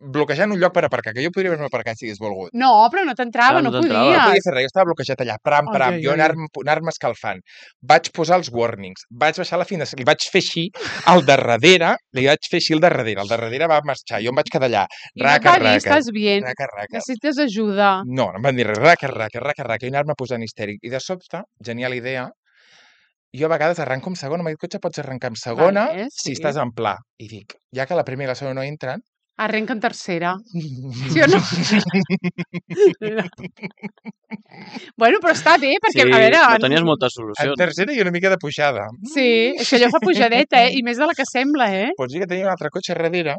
bloquejant un lloc per aparcar, que jo podria haver-me aparcat si hagués volgut. No, però no t'entrava, Clar, no, no t'entrava. No podies. podia fer res, jo estava bloquejat allà, pram, Ai, pram, ai, jo ai. anar-me anar escalfant. Vaig posar els warnings, vaig baixar la finestra, li vaig fer així, al darrere, li vaig fer així al darrere, el darrere va marxar, jo em vaig quedar allà, I no raca, et va dir, raca, estàs bien, raca, raca. necessites ajuda. No, no em van dir res, raca, raca, raca, raca, i anar-me posant histèric. I de sobte, genial idea, jo a vegades arranco amb segona, amb aquest cotxe pots arrencar amb segona Vale, si sí. estàs en pla. I dic, ja que la primera i la segona no entren, Arrenca en tercera. Sí o no? Bueno, però està bé, perquè, Sí, a veure... no tenies moltes en solucions. tercera i una mica de pujada. Sí, és que allò fa pujadeta, eh? I més de la que sembla, eh? Pots dir que tenia un altre cotxe darrere.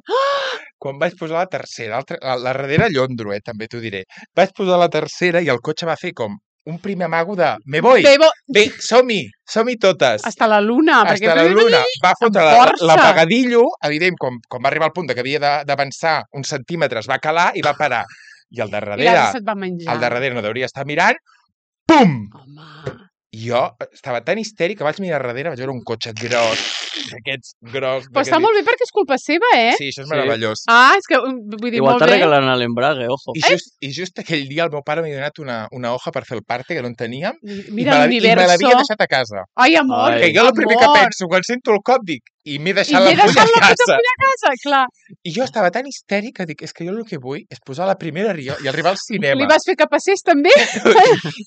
Quan vaig posar la tercera, l'altra- la, la darrere llondro, eh, també t'ho diré. Vaig posar la tercera i el cotxe va fer com un primer amago de me voy, Bebo, bé, som-hi, som-hi totes. hasta la luna. perquè Hasta la tu- luna. Va fotre amb la- força. l'apagadillo, evident, quan, quan va arribar al punt de que havia de- d'avançar uns centímetres, va calar i va parar. I al I l'altre darrere, se't va menjar. al darrere no deuria estar mirant, pum! Home, I jo estava tan histèric que vaig mirar darrere, vaig veure un cotxe gros, d'aquests gros. però està molt bé perquè és culpa seva, eh? Sí, això és Sí. meravellós. Ah, és que vull dir, Igual molt te bé. regalen l'embrague, ojo. I just, I just aquell dia el meu pare m'ha donat una, una hoja per fer el parte que no en teníem Mira i me la- i me l'universo. l'havia deixat a casa. Ai, amor, Ai. Que jo el primer que amor. penso quan sento el cop dic i m'he I deixat m'he la fulla deixat a la puta casa. fulla a casa, clar. I jo estava tan histèric que dic, és que jo el que vull és posar la primera rio i arribar al cinema. Li vas fer que passés també?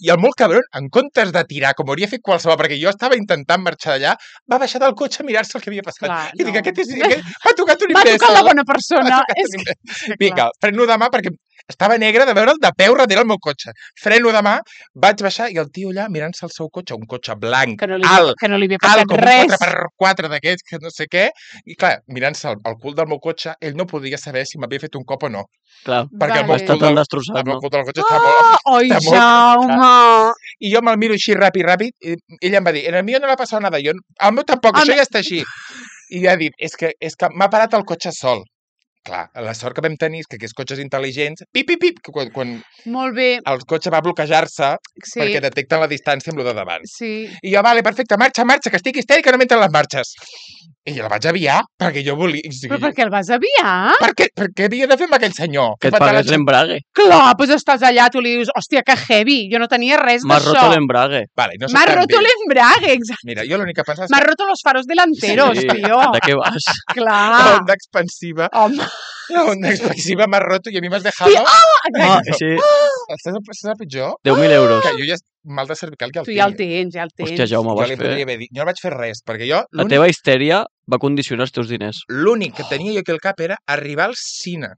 I el molt cabron, en comptes de tirar, com hauria fet qualsevol, perquè jo estava intentant marxar d'allà, va baixar del cotxe a mirar-se el que havia passat. Clar, I dic, no. aquest és... Aquest... M'ha tocat un M'ha imbècil. tocat la bona persona. M'ha tocat És un que... imbècil. Vinga, freno de mà perquè estava negre de veure'l de peu darrere el meu cotxe. Freno de mà, vaig baixar i el tio allà mirant-se el seu cotxe, un cotxe blanc, Que no li, alt, que no li havia alt passat com un res. quatre per quatre d'aquests, que no sé què, i clar, mirant-se el, el cul del meu cotxe, ell no podia saber si m'havia fet un cop o no, Clar, perquè el Vale. meu està cul tan del, destrossat, el meu no? cul del cotxe estava molt... Ah, oi, està molt Jaume! I jo me'l miro així ràpid, ràpid, i ell em va dir, en el mío no l'ha passat nada, jo, el meu tampoc, El això me- ja està així. I ja ha dit, és que, és que m'ha parat el cotxe sol. Clar, la sort que vam tenir és que aquests cotxes intel·ligents, pip, pip, pip, que quan, quan Molt bé, el cotxe va bloquejar-se sí. perquè detecten la distància amb el de davant. Sí. I jo, vale, perfecte, marxa, marxa, que estic histèrica, no m'entren les marxes. I jo la vaig aviar, perquè jo volia... O sigui, Però per què el vas aviar? per, què, per què havia de fer amb aquell senyor? Que et fa tant pagués la- l'embrague. Clar, doncs estàs allà, tu li dius, hòstia, que heavy, jo no tenia res M'has roto d'això. l'embrague. Vale, no soc M'has tan roto vil. l'embrague, exacte. Mira, jo l'únic que pensava és M'has roto los faros delanteros, Sí, tio. de què vas? que Clar. onda expansiva. Home, La onda expansiva m'ha roto i a mi m'has dejado... Ah, sí, Estàs estàs el pitjor? deu mil euros. Que jo ja mal de cervical que el Tu tinc. ja el tens, ja el tens. Hòstia, Jaume, Jo vas li fer... podria haver dit... Jo no vaig fer res, perquè jo... La l'únic- teva histèria va condicionar els teus diners. L'únic que tenia jo aquí al cap era arribar al cine.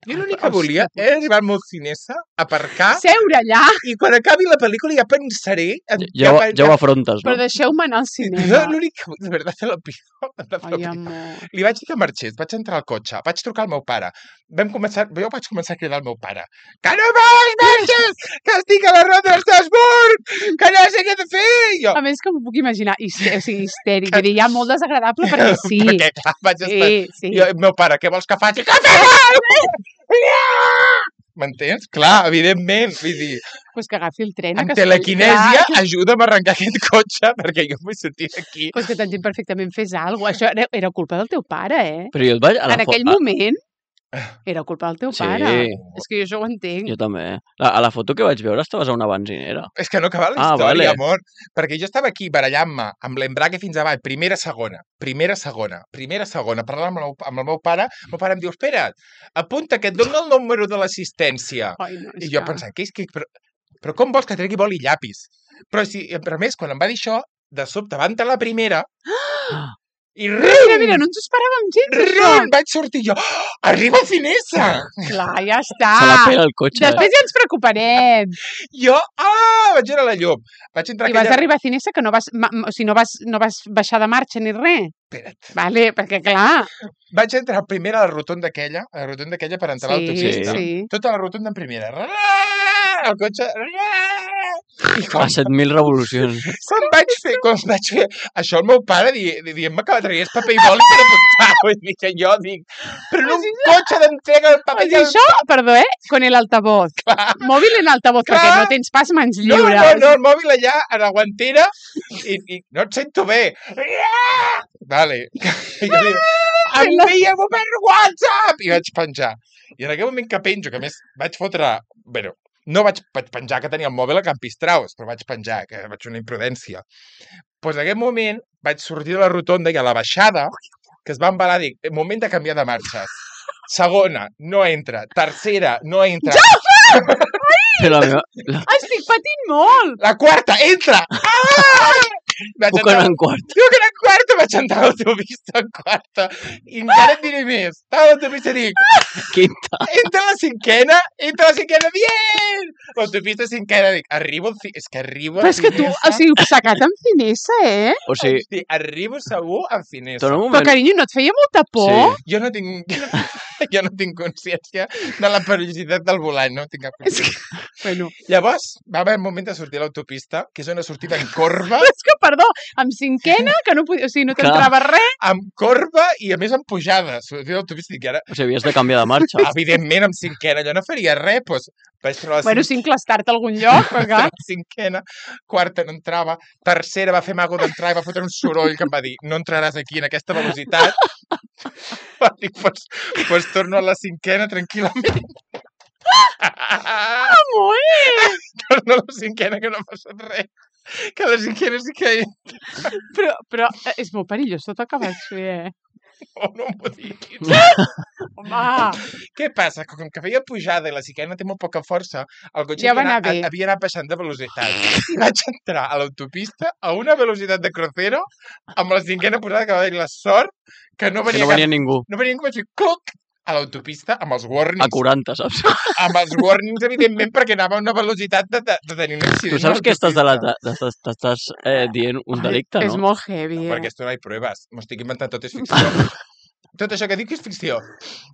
Jo l'únic que Hòstia volia puta. era arribar al meu cinesa, aparcar, Seure allà, i quan acabi la pel·lícula ja pensaré... En Ja, ho- ja ho afrontes, però no? deixeu-me anar al No, cinema. l'únic que... De veritat, te lo pido. te lo Ai, pido. amor. Li vaig dir que marxés, vaig entrar al cotxe, vaig trucar al meu pare. Vam començar, jo vaig començar a cridar al meu pare. Que no vols, marxes! Que estic a la ronda d'Estrasburg! Que no sé què he de fer! I Jo, A més que m'ho puc imaginar, histe- o sigui, histèric, vull dir, ja molt desagradable perquè sí. perquè clar, vaig estar... Sí, sí. I jo, el meu pare, què vols que faci? Que fem! M'entens? Clar, evidentment. Vull dir, Pues que agafi el tren. amb que es- telequinèsia, Clar, ajuda'm a arrencar aquest cotxe perquè jo vull sortir d'aquí. Pues que t'entenc perfectament, fes alguna cosa. Això era, era culpa del teu pare, eh? Però jo et vaig... A la En fo- aquell a- moment era culpa del teu Sí. pare. És que jo això ho entenc. Jo també. A, a la foto que vaig veure estaves a una benzinera. És que no acaba la Ah, història, vale. amor. Perquè jo estava aquí barallant-me amb l'embrague fins avall, primera, segona, primera, segona, primera, segona, parlant amb el, meu- amb el meu pare, el meu pare em diu, espera't, apunta que et dono el número de l'assistència. Ai, no, és I jo que- pensant, què és que... Però, però com vols que tregui boli i llapis? Però, si, però a més, quan em va dir això, de sobte va entrar la primera i Mira, rum, mira, mira, no ens ho esperàvem gens, això. rum, vaig sortir jo, oh, arriba a Finesa! Clar, ja està. Se la pega el cotxe. eh? Després ja ens preocuparem. Jo, ah, vaig veure la llum. Vaig entrar I vas aquella... arribar a Cinesa que no vas, ma- o sigui, no vas, no vas baixar de marxa ni res. Espera't. Vale, perquè clar, Vaig entrar primer a la rotonda aquella, a la rotonda aquella per entrar a sí, l'autopista. sí. Tota la rotonda en primera. Ra, El cotxe... ra, I A quan, set mil revolucions. quan vaig fer, quan vaig fer això el meu pare di- di- dient-me que tragués paper i boli per apuntar. Vull dir que jo dic, però en un cotxe d'entrega el O paper sigui, això, perdó, eh? Con el altavoz. Mòbil en altavoz, Clar. perquè no tens pas mans No, lliures. no, no, el mòbil allà a la guantera i, i no et sento bé. Vale. I jo dic, envia-m'ho per WhatsApp! I vaig penjar. I en aquell moment que penjo, que a més vaig fotre... Bueno, no vaig, vaig penjar que tenia el mòbil a Campistraus, però vaig penjar, que vaig fer una imprudència. Doncs pues en aquell moment vaig sortir de la rotonda i a la baixada, que es va embalar, dic, moment de canviar de marxes. Segona, no entra. Tercera, no entra. Però la meva... La... Estic patint molt. La quarta, entra! Ah! Vaig Puc anar en quart. Diu que era en quarta, vaig entrar a l'autopista en quarta. I encara et diré més. Estava a l'autopista i dic, Quinta. entra a la cinquena, entra a la cinquena, bien! L'autopista cinquena, dic, arribo, al ci- és que arribo Però a és que tu, o sigui, sacat amb finesa, eh? O sigui, Hosti, arribo segur a Finesa. torna un Però, moment... carinyo, no et feia molta por? Sí. Jo no tinc, jo no tinc consciència de la perillositat del volant, no tinc cap És que, consciència. bueno, Llavors, va haver un moment de sortir a l'autopista, que és una sortida en corba, però és que, perdó, amb cinquena, que no podia, o sigui, no Clar. t'entrava res. amb corba i a més amb pujada. Sortir a l'autopista i dic, ara, O sigui, havies de canviar de marxa. evidentment, amb cinquena, jo no faria res, doncs vaig treure la Bueno, sí, enclastar-te a algun lloc, però clar. la cinquena, quarta no entrava, tercera va fer mago d'entrar i va fotre un soroll que em va dir, no entraràs aquí en aquesta velocitat. Va dir, pues, pues torno a la cinquena tranquil·lament. Amor! Torno a la cinquena que no ha passat res. Que a la cinquena sí que Però, però eh, és molt perillós tot el que vas fer, eh? oh, no m'ho diguis. Home! Què passa? Que com que feia pujada i la cinquena té molt poca força, el cotxe Ja havia, va anar anat, bé. havia anat baixant de velocitat. I vaig entrar a l'autopista a una velocitat de crucero amb la cinquena posada que va haver la sort que no Que venia, no venia cap... ningú. no venia ningú. Vaig dir, cluc, a l'autopista amb els A warnings. quaranta, saps? Amb els warnings, evidentment, perquè anava a una velocitat de, de, de tenir un accident. Tu saps a que estàs, de la, l'autopista. t'estàs, t'estàs eh, dient un delicte, És no? molt heavy, No, eh? perquè esto no hi proves. M'ho estic inventant, tot és ficció. Tot això que dic és ficció.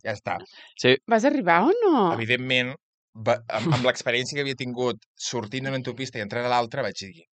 Ja està. Sí, Vas arribar o no? Evidentment, va, amb, amb l'experiència que havia tingut sortint d'una autopista i entrant a l'altra, vaig dir,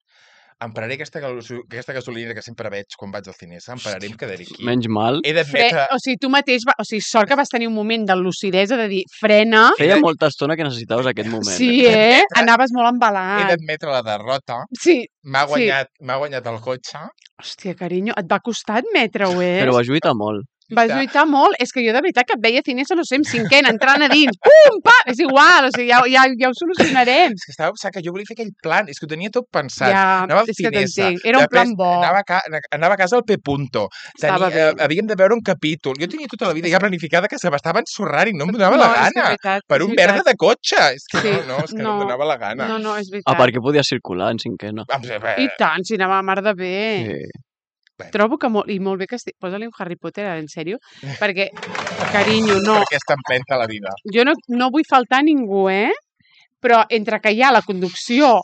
em pararé aquesta, gaso- aquesta gasolinera que sempre veig quan vaig al Cinesa, em pararé, em quedaré aquí. menys mal. He Fre... d'admetre... O sigui, tu mateix, va... o sigui, sort que vas tenir un moment de lucidesa de dir, frena. Feia molta estona que necessitaves aquest moment. Sí, eh? Anaves molt He embalat. d'admetre la derrota. Sí. M'ha Sí. guanyat, m'ha guanyat el cotxe. Hòstia, carinyo, et va costar admetre-ho, eh? Però va lluitar molt. Vas lluitar molt. És que jo de veritat que et veia Cinesa, no sé, en cinquena, entrant a dins. Pum, pa! És igual, o sigui, ja, ja, ja ho solucionarem. És que estava pensant que jo volia fer aquell plan, és que ho tenia tot pensat. Ja, Anava al és que Cinesa, t'entenc. Era un plan després bo. Anava a, ca... anava a casa al P. Punto. Estava Tenia, bé. eh, havíem de veure un capítol. Jo tenia tota la vida ja planificada que se m'estava ensorrant i no em donava No, la és que és gana. veritat, Per és un veritat. merda de cotxe. És que Sí, no, no, és que no, no. em donava la gana. No, no, és Ah, veritat. perquè podia circular en cinquena. Em sembla- I tant, si anava a mar de bé. Sí. Trobo que molt, i molt bé que estic... Posa-li un Harry Potter, ara, en sèrio? Perquè, carinyo, no. Perquè està empenta la vida. Jo no, no vull faltar a ningú, eh? Però entre que hi ha la conducció...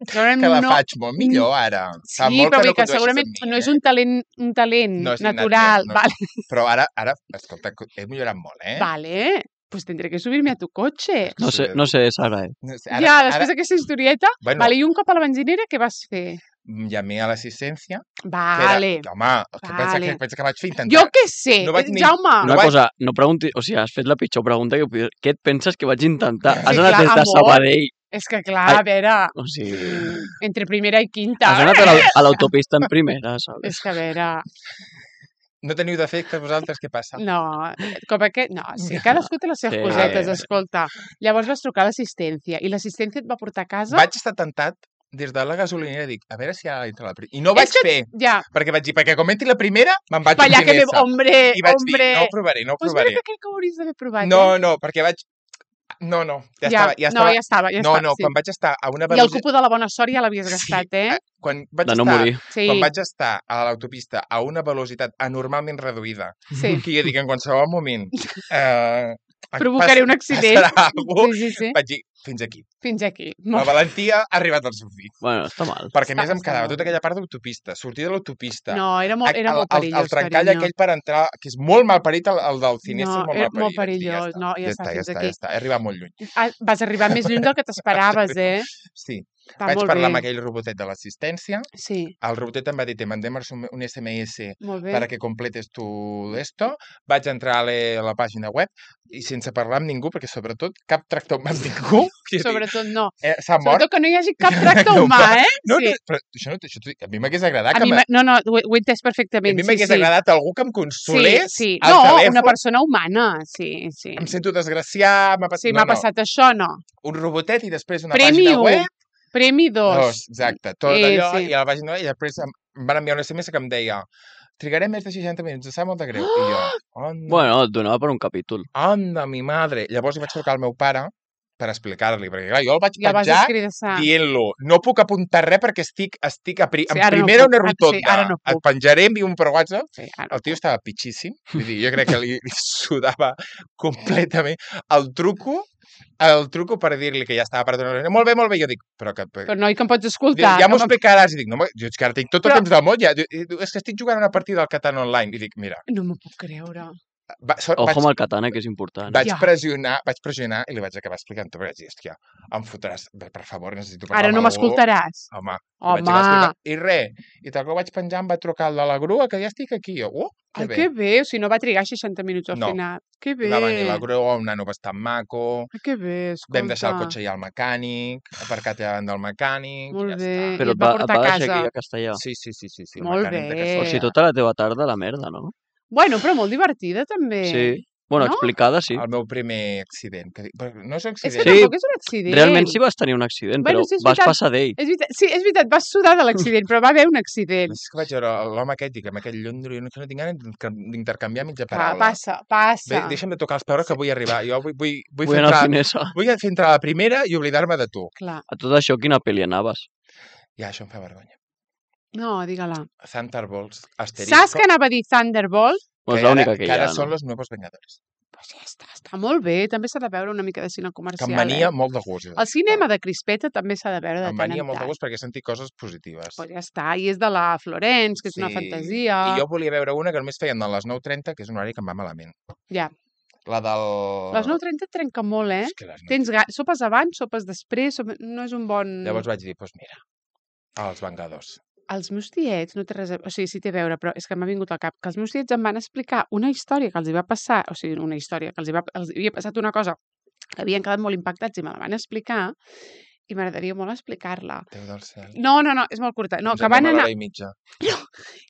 segurament Que la no... faig molt millor ara. Fa Sí, molt però que vull no que condueixes segurament amb mi, no és eh? un talent, un talent No és innat, natural. no. Vale. Però ara, ara, escolta, he millorat molt, eh? Vale. Pues tendré que subirme a tu coche. No sé, no sé, Sara, eh? No sé, ja, després d'aquesta historieta... Bueno. Vale, i un cop a la benzinera, què vas fer? Llamé a l'assistència. Vale. Que era, home, què pensa, Vale. que, pensa que vaig fer intentar? Jo què sé, No vaig ni- Jaume. Una vaig- cosa, no pregunti... O sigui, has fet la pitjor pregunta que puc... Què et penses que vaig intentar? Has Sí, anat clar, des de amor. Sabadell. És que clar, Ai. a veure, O sigui... entre primera i quinta... Has anat a l'au- a l'autopista en primera, saps? És que a veure... No teniu defectes vosaltres, què passa? No, com aquest... No, sí, cadascú té les seves Sí. cosetes, escolta. Llavors vas trucar a l'assistència i l'assistència et va portar a casa... Vaig estar tentat des de la gasolinera, dic, a veure si ara entra la primera. I no ho vaig És que- fer, Ja, perquè vaig dir, perquè com entri la primera, me'n vaig pa allà a que me... Cinesa. Hombre, I vaig hombre... dir, no ho provaré, no ho Pues provaré. mira que crec que ho hauries d'haver provat, No, eh? no, perquè vaig... No, no, ja, Ja, estava, ja no, estava... ja estava, ja no, estava, no, sí. quan vaig estar a una I el velocitat... cupo de la bona sort ja l'havies Sí, gastat, eh? Quan vaig, De no estar, morir. Sí, quan vaig estar a l'autopista a una velocitat anormalment reduïda, sí. que jo dic en qualsevol moment... Eh, Provocaré un accident. Passarà alguna Sí, sí, sí. Vaig dir, fins aquí. Fins aquí. La valentia ha arribat al seu fi. Bueno, està mal. Perquè a Està- més em està quedava molt tota bé. aquella part d'autopista, sortir de l'autopista. No, era molt, era el, molt el, perillós, el trencall carinyo. aquell per entrar, que és molt mal parit, el, el del Cinesa No, és molt era mal parit. molt Vaig dir, perillós. No, ja ja està, està, ja fins està, aquí. ja està. He arribat molt lluny. Ah, vas arribar més lluny del que t'esperaves, eh? Sí. Està Vaig molt parlar bé. amb aquell robotet de l'assistència. Sí, El robotet em va dir, te mandem un un S M S molt bé. para que completes tu esto. Vaig entrar a la, a la pàgina web i sense parlar amb ningú, perquè sobretot cap tractor humà amb ningú. És a dir, Sobretot no. eh, S'ha mort. Sobretot que no hi hagi cap tracte humà, eh? No, Sí. no, però això no, això, t'ho dic, a mi m'hagués agradat A que mi, me- m'ha- no, no, ho, he- ho he entès a perfectament. mi Sí, m'hagués sí. agradat algú que em Sí, consolés sí. al No, telèfon. una persona humana, sí, sí. Em sento desgraciat, m'ha passat... Sí, no, m'ha no, passat això, no. un robotet i després una Premi pàgina u, web. premi dos. Dos, exacte. Tot Eh, allò, sí. i a la pàgina web, i després em em van enviar un S M S que em deia trigarem més de seixanta minuts, em sap molt de greu. I jo, anda, Bueno, et donava per un capítol. anda, mi madre. Llavors hi vaig trucar al meu pare per explicar-li, perquè clar, jo el vaig Ja vas penjar escridassar. dient-lo, no puc apuntar res perquè estic, estic a pri... Sí, en ara no primera puc, una ara- rotonda. sí, ara no Et puc. penjaré, envio un per WhatsApp. Sí, ara no El tio puc. estava pitxíssim. Vull dir, jo crec que li, li sudava completament. El truco, el truco per dir-li que ja estava per donar molt bé, molt bé. Jo dic, però que... Però noi, que em pots Diu, escoltar. ja m'ho que em- explicaràs. I dic, no, home, jo és que ara tinc tot el Però- temps del món. Ja. Diu, és que estic jugant una partida al Catan online. I dic, mira, No m'ho puc creure. va, so, Ojo vaig, amb el katana, que és important. vaig Ja. pressionar, vaig pressionar i li vaig acabar explicant. Però vaig dir, hòstia, em fotràs. Per per favor, necessito parlar Ara no amb algú. m'escoltaràs. Home, li vaig Home, acabar explicant. I res, i tal que ho vaig penjar em va trucar el de la grua, que ja estic aquí. Jo, oh, que ai, bé. que bé. O sigui, no va trigar seixanta minuts al No. final. Que bé. Va venir la grua, un nano bastant maco, Ai, que bé, escolta. vam deixar el cotxe allà al mecànic, aparcat davant del mecànic, Molt ja bé. està. I Però et et va va, et portar va a deixar casa. aquí a Castellà. Sí, sí, sí, sí, sí. Molt el mecànic de bé. O Castellà. sigui, tota la teva tarda, la merda, no? Bueno, però molt divertida, també. Sí. Bueno, No? explicada, sí. El meu primer accident. Que... dic, però no és un És que accident. Sí. tampoc és un accident. Realment sí vas tenir un accident, Bueno, però sí, és vas veritat. passar d'ell. És veritat, sí, és veritat, vas sudar de l'accident, però va haver un accident. És que vaig veure l'home aquest, dic, amb aquell llondro, jo no, que no tinc ganes d'intercanviar mitja Va, paraula. passa, passa. Bé, deixa'm de tocar els peus que vull arribar. Jo vull, vull, vull, Vull fer anar al entrar, Cinesa. vull fer entrar a la primera i oblidar-me de tu. Clar. A tot això, quina pel·li anaves? Ja, això em fa vergonya. No, digue-la. Thunderbolts, asterisco, Saps que anava a dir Thunderbolt? No és que ara, l'única que que hi ara ha, són no? los nuevos Vengadores. Pues ja està, està molt bé. També s'ha de veure una mica de cine Que comercial. em venia eh? molt de gust. El cinema de Crispeta també s'ha de veure de Em tant venia en molt de tant. gust perquè he sentit coses positives. Pues ja està, i és de la Florence, que és una fantasia. I jo volia veure una que només feien a les nou trenta, que és un horari que em va malament. Ja. La del... Les nou trenta et trenca molt, eh? És que les nou Tens ga... Sopes abans, sopes després, sopes... no és un bon... Llavors vaig dir, doncs pues mira, els Vengadors. Els meus tiets, no té res a... O sigui, sí té a veure, però és que m'ha vingut al cap que els meus tiets em van explicar una història que els hi va passar, o sigui, una història que els hi, va... els hi havia passat una cosa que havien quedat molt impactats i me la van explicar, i m'agradaria molt explicar-la. Déu del cel. No, no, no, és molt curta. No, Ens que van anem a anar... l'hora i mitja.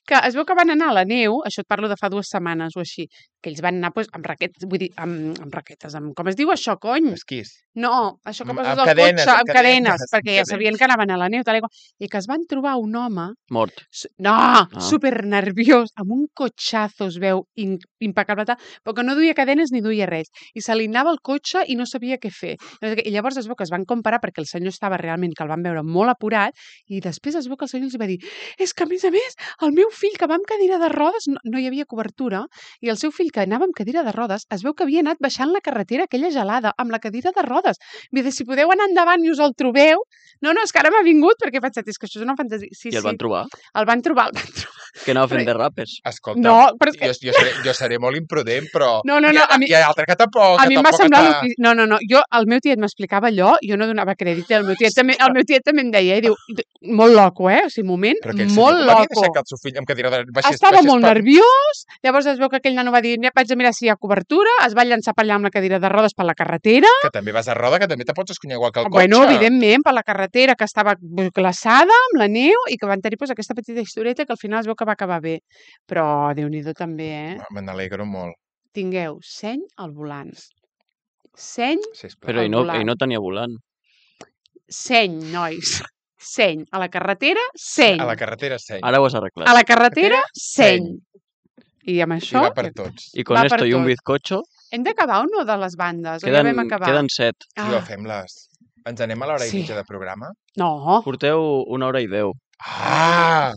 que es veu que van anar a la neu, això et parlo de fa dues setmanes o així, que ells van anar pues, amb raquetes, vull dir, amb, amb raquetes, amb, com es diu això, cony? Esquís. No, això que Amb- poses amb al cadenes, cotxe, amb amb cadenes, cadenes, perquè ja cadenes. sabien que anaven a la neu, tal i qual, i que es van trobar un home, Mort. su- no, super nerviós, amb un cotxazo, es veu, in, impecable, tal, però que no duia cadenes ni duia res, i se li anava el cotxe i no sabia què fer. No sé què. I llavors es veu que es van comparar perquè el senyor estava realment, que el van veure molt apurat, i després es veu que el senyor els va dir és que, a més a més, el meu fill que va amb cadira de rodes, no, no hi havia cobertura, i el seu fill que anava amb cadira de rodes, es veu que havia anat baixant la carretera aquella gelada amb la cadira de rodes. Vull dir, si podeu anar endavant i us el trobeu... No, no, és que ara m'ha vingut perquè he pensat, és que això és una fantasia. Sí, I el sí. van trobar? El van trobar, el van trobar. Que anava fent Però- derrapes. Escolta, No, però és que... jo, jo, seré, jo seré molt imprudent, però... No, no, no, hi ha, a mi- hi ha altre que tampoc... A que mi em va tampoc semblar... està- loquíssim. No, no, no. Jo, el meu tiet m'explicava allò, jo no donava crèdit. El meu tiet també, el meu tiet també em deia, eh? Diu, molt loco, eh? O sigui, moment, Però aquell molt senyor, com havia loco. deixat que el seu fill amb cadira de... Baixés, Estava baixés molt per- nerviós, llavors es veu que aquell nano va dir, vaig a mirar si hi ha cobertura, es va llançar per allà amb la cadira de rodes per la carretera. Que també vas a roda, que també te pots escunyar igual que el cotxe. Bueno, evidentment, per la carretera que estava glaçada amb la neu i que van tenir pues, aquesta petita historieta que al final es veu que va acabar bé. Però, Déu-n'hi-do també, eh? Me n'alegro molt. Tingueu seny al volant. Seny, Sisplau. Però Al ell no, volant. ell no tenia volant. seny, nois. Seny. A la carretera, seny. A la carretera seny. Ara ho has arreglat. A la carretera, Seny. seny. I amb I això... va per tots. I con va per esto i un tot. bizcocho, Hem d'acabar o no de les bandes? o ja queden, vam acabar? queden set. Sí, ho fem-les. Ens anem a l'hora Sí. i mitja de programa? No. Porteu una hora i deu. Ah!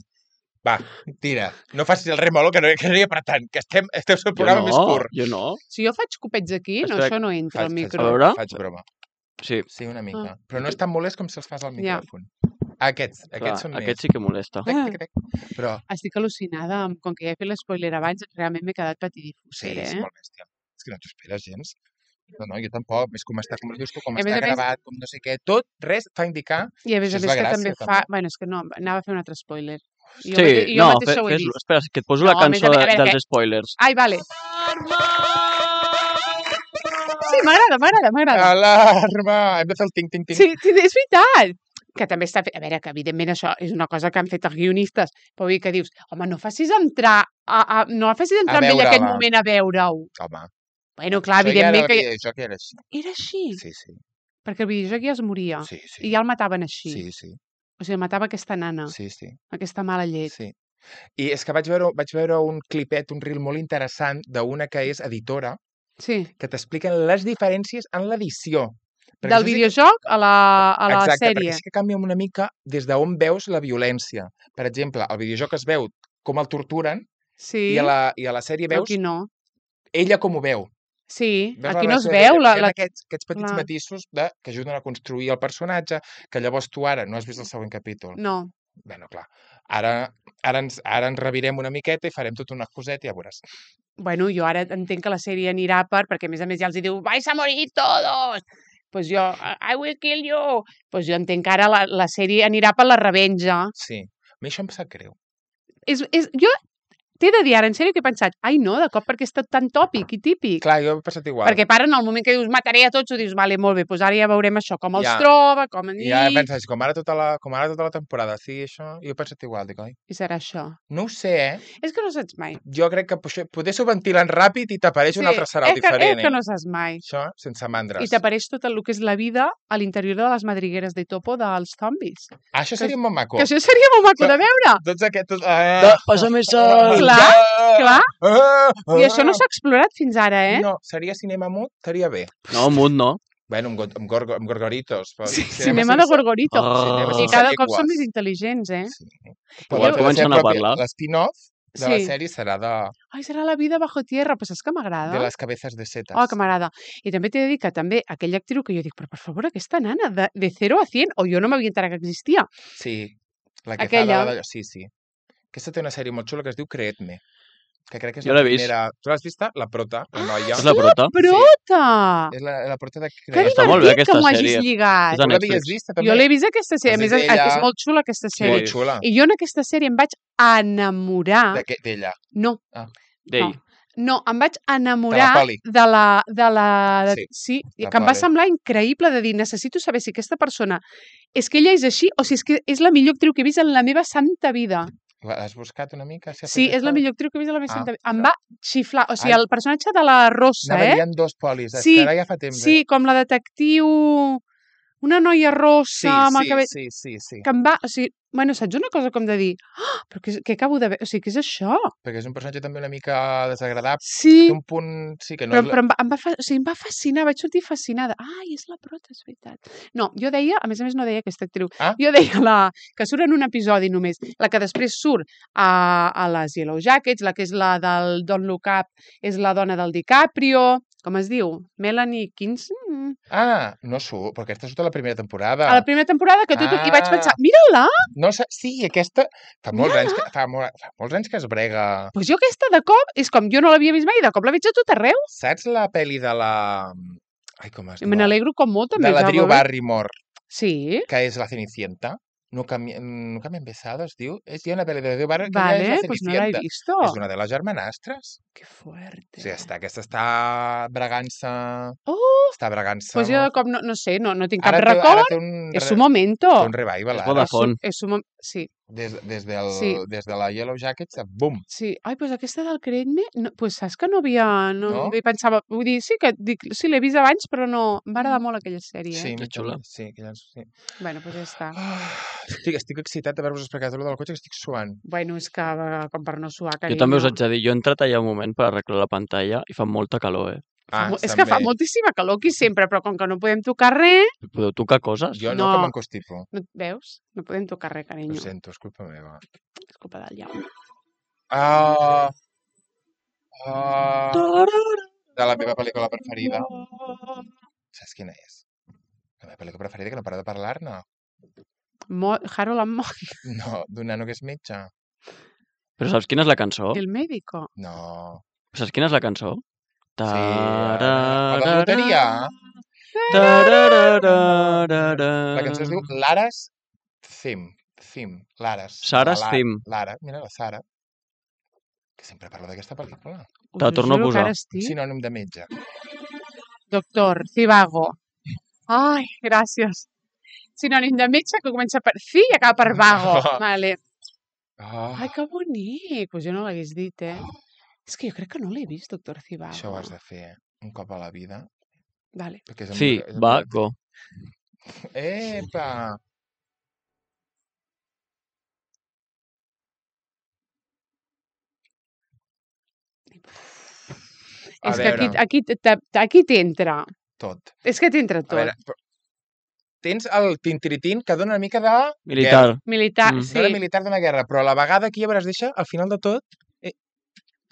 Va, tira. No facis el remolo, que no, que no hi ha per tant. Que estem, estem el Jo programa no, més curt. jo no. Si jo faig copets aquí, no, Espera, això no entra al Faig, faig, micro. A veure. faig broma. Sí, Sí, una mica. Ah. Però no és tan molest com si els fas al Ja. micròfon. Aquests, clar, aquests són aquest més. sí que molesta. Tec, tec, tec. Però Estic al·lucinada, amb, com que ja he fet l'espoiler abans, realment m'he quedat sí, patidifusera, és eh? molt bèstia. És que no t'ho esperes gens. No, no, jo tampoc. És com està, com dius tu, com A més està a més- gravat, com no sé què. Tot, res fa indicar... I a més Això a és més la que gràcia, també fa... també. Bueno, és que no, anava a fer un altre spoiler. Jo, Sí, mate- jo no, mateixa fe- ho he fes-lo. vist. Espera, que et poso No, la a més a cançó més, a de, veure, dels spoilers. Ai, vale. Sí, m'agrada, m'agrada, m'agrada. Alarma! Hem de fer el ting-ting-ting. Sí, sí, és veritat. Que també està fet... A veure, que evidentment això és una cosa que han fet els guionistes, però vull dir que dius, home, no facis entrar, a, a, no facis entrar A amb ell aquest veure-la. moment a veure-ho. Home, Bueno, clar, això ja era, evidentment que... el videojoc era així. Era així, Sí, sí. perquè el videojoc ja es moria. Sí, sí. I ja el mataven així. Sí, sí. O sigui, el matava aquesta nana, Sí, sí. aquesta mala llet. Sí. I és que vaig veure, vaig veure un clipet, un reel molt interessant d'una que és editora, Sí. que t'expliquen les diferències en l'edició. Perquè Del això sí que- videojoc a la, a la Exacte, sèrie. perquè sí que canvia una mica des d'on veus la violència. Per exemple, al videojoc es veu com el torturen Sí, i, a la, i a la sèrie veus aquí no. ella com ho veu. Sí, Veus aquí la no es relació veu de- la... hi ha la... Aquests, aquests petits Clar. matisos de, que ajuden a construir el personatge, que llavors tu ara no has vist el següent capítol. No. Bueno, clar, ara, ara, ens, ara ens revirem una miqueta i farem tota una coseta i ja veuràs. Bueno, jo ara entenc que la sèrie anirà per... Perquè, a més a més, ja els hi diu vais a morir todos! Pues jo, I will kill you! Pues jo entenc que ara la, la sèrie anirà per la revenja. Sí, a mi això em sap greu. És, és, jo t'he de dir ara, en sèrio, que he pensat, ai no, de cop perquè és tot tan tòpic i típic. Clar, jo he passat igual. Perquè para en el moment que dius mataré a tots, ho dius, vale, molt bé, doncs ara ja veurem això, com els Ja. troba, com en I ja penses, com ara tota la, com ara tota la temporada, sí, això, jo he pensat igual, dic, oi? I serà això. No ho sé, eh? És que no saps mai. Jo crec que poder, poder s'ho ventilen ràpid i t'apareix un altre sarau és que, diferent, és que eh? no saps mai. Això, sense mandres. I t'apareix tot el que és la vida a l'interior de les madrigueres de topo dels zombis. Ah, això que- seria molt maco. Que això seria molt maco de veure. Tots aquests... Da, Ah, pásame sal. Clar, clar. Ah, I això no s'ha explorat fins ara, eh? No, seria cinema mut, estaria bé. No, mut no. Bueno, amb, go- amb, gorgo, amb gorgoritos. Però Sí, cinema de sense- Gorgorito. Ah. I cada cop són més intel·ligents, eh? Sí. Igual pot ser comencen a propi- parlar. L'spin-off de la Sí. sèrie serà de, Ai, serà la vida bajo tierra. Pues és que m'agrada. de les cabezas de setas. Oh, que m'agrada. I també t'he de dir que també aquella actriu que jo dic, però per favor, aquesta nana, de, de zero a cien, o jo no m'havia enterat que existia. Sí, la que Aquella. fa la... de- Sí, sí. Aquesta té una sèrie molt xula que es diu Creedme, que crec que és Jo la l'he vist. primera... Tu l'has vista? La prota, la noia. És la prota? Prota! És la, la prota de Que Creedme. Està molt bé divertit que aquesta m'ho hagis sèrie. lligat. És de Tu l'havies Netflix. vista, també? Jo l'he vist aquesta sèrie. A Doncs més, és és, ella- és molt xula aquesta Sí, sèrie. molt xula. I jo en aquesta sèrie em vaig enamorar... De què- D'ella. No, D'ell. No, em vaig enamorar Poli. de la... De la de, Sí, sí, la que em va Poli. semblar increïble de dir, necessito saber si aquesta persona és que ella és així o si és que és la millor actriu que he vist en la meva santa vida. L'has buscat una mica? Si ha Sí, fet és la això? millor actriu que he vist en la meva Ah, santa vida. Em no. va xiflar. O sigui, Ai. el personatge de la Rossa, Anava a eh? dir, hi ha dos polis. És Sí, que ara ja fa temps, Sí, eh? com la detectiu... Una noia Sí, rossa amb el sí, cabell... sí, sí, sí. Que em va... O sigui, bueno, saps una cosa com de dir... Oh, però què, què acabo de veure? O sigui, què és això? Perquè és un personatge també una mica desagradable. Sí, Té un punt... Sí, que no però, és... però em, va, em, va fa, o sigui, em va fascinar, vaig sortir fascinada. Ai, és la prota, és veritat. No, jo deia, a més a més no deia aquesta actriu, Ah. jo deia la que surt en un episodi només, la que després surt a, a les Yellow Jackets, la que és la del Don't Look Up, és la dona del DiCaprio, com es diu? Melanie Kinson? Ah, no surt, però aquesta surt a la primera temporada. A la primera temporada que tot... I vaig Ah. pensar, mira-la! No sé, sí, aquesta... Fa molts, Mira-la. anys que, fa, molt, fa molts anys que es brega... Doncs jo aquesta de cop, és com, jo no l'havia vist mai, de cop la veig a tot arreu. Saps la pel·li de la... Ai, com es I diu? me n'alegro com molt, també. De la ja, Drew veure. Barrymore, Sí, que és la Cenicienta. Nunca, me- nunca me han besado, es diu. És, hi ha una pel·li de Drew Barrymore que ella vale, és la pues no la he Cenicienta. visto. És una de les germanastres. Que fuerte. O sigui, està, aquesta està bregant-se... Oh, Està bregant-se... pues jo de molt. cop no, no sé, no, no tinc cap Ara té, record. ara té un, És re- su momento. té un revival, És ara. Vodafone. És su mom... Sí, Des, des, del, Sí. des de la Yellow Jackets, bum. sí. Ai, pues aquesta del Creedme, no, pues saps que no havia... No, No? no? pensava... Vull dir, sí que dic, sí, l'he vist abans, però no... Em va agradar molt aquella sèrie, Sí, eh? mi xula. també, sí, que ja, sí. Bueno, pues ja està. Ah, estic, estic excitat d'haver-vos explicat allò del cotxe, que estic suant. Bueno, és que eh, com per no suar, Jo carinyo. també us haig de dir, jo he entrat allà un moment per arreglar la pantalla i fa molta calor, eh? Fa Ah, mo- és que fa també. moltíssima calor aquí sempre, però com que no podem tocar res... Podeu tocar coses? Jo no, No. que m'encostipo. No, veus? No podem tocar res, Ho carinyo. sento, és culpa meva. És culpa del Jaume. Ah, ah, de la meva pel·lícula preferida. Saps quina és? La meva pel·lícula preferida, que no para de parlar-ne. Mo Harold and Maude, No, d'un nano que és metge. Però saps quina és la cançó? el médico. No. Saps quina és la cançó? Sí, la de la loteria. La cançó es diu Lara's Theme. Theme. Lara's. Sarah's La Lara- Theme. Lara, mira la Sara. Que sempre parla d'aquesta pel·lícula. Te la Us ho torno a juro que posar. ara estic... Sinònim de metge. Doctor, Cibago. Ai, gràcies. Sinònim de metge que comença per fi i acaba per vago. Vale. Oh, Ai, que bonic. Pues jo no l'hagués dit, eh? És que jo crec que no l'he vist, doctor Cibago. això ho has de fer un cop a la vida. Vale. Perquè és Sí, és vago. Epa! A És que aquí, veure. aquí, t- aquí t'entra. Tot. És que t'entra A tot. veure, però- tens el tintiritín que dona una mica de... Militar. guerra. Militar, Mm. No sí. de militar d'una guerra, però a la vegada aquí ja veuràs, deixa, al final de tot, eh,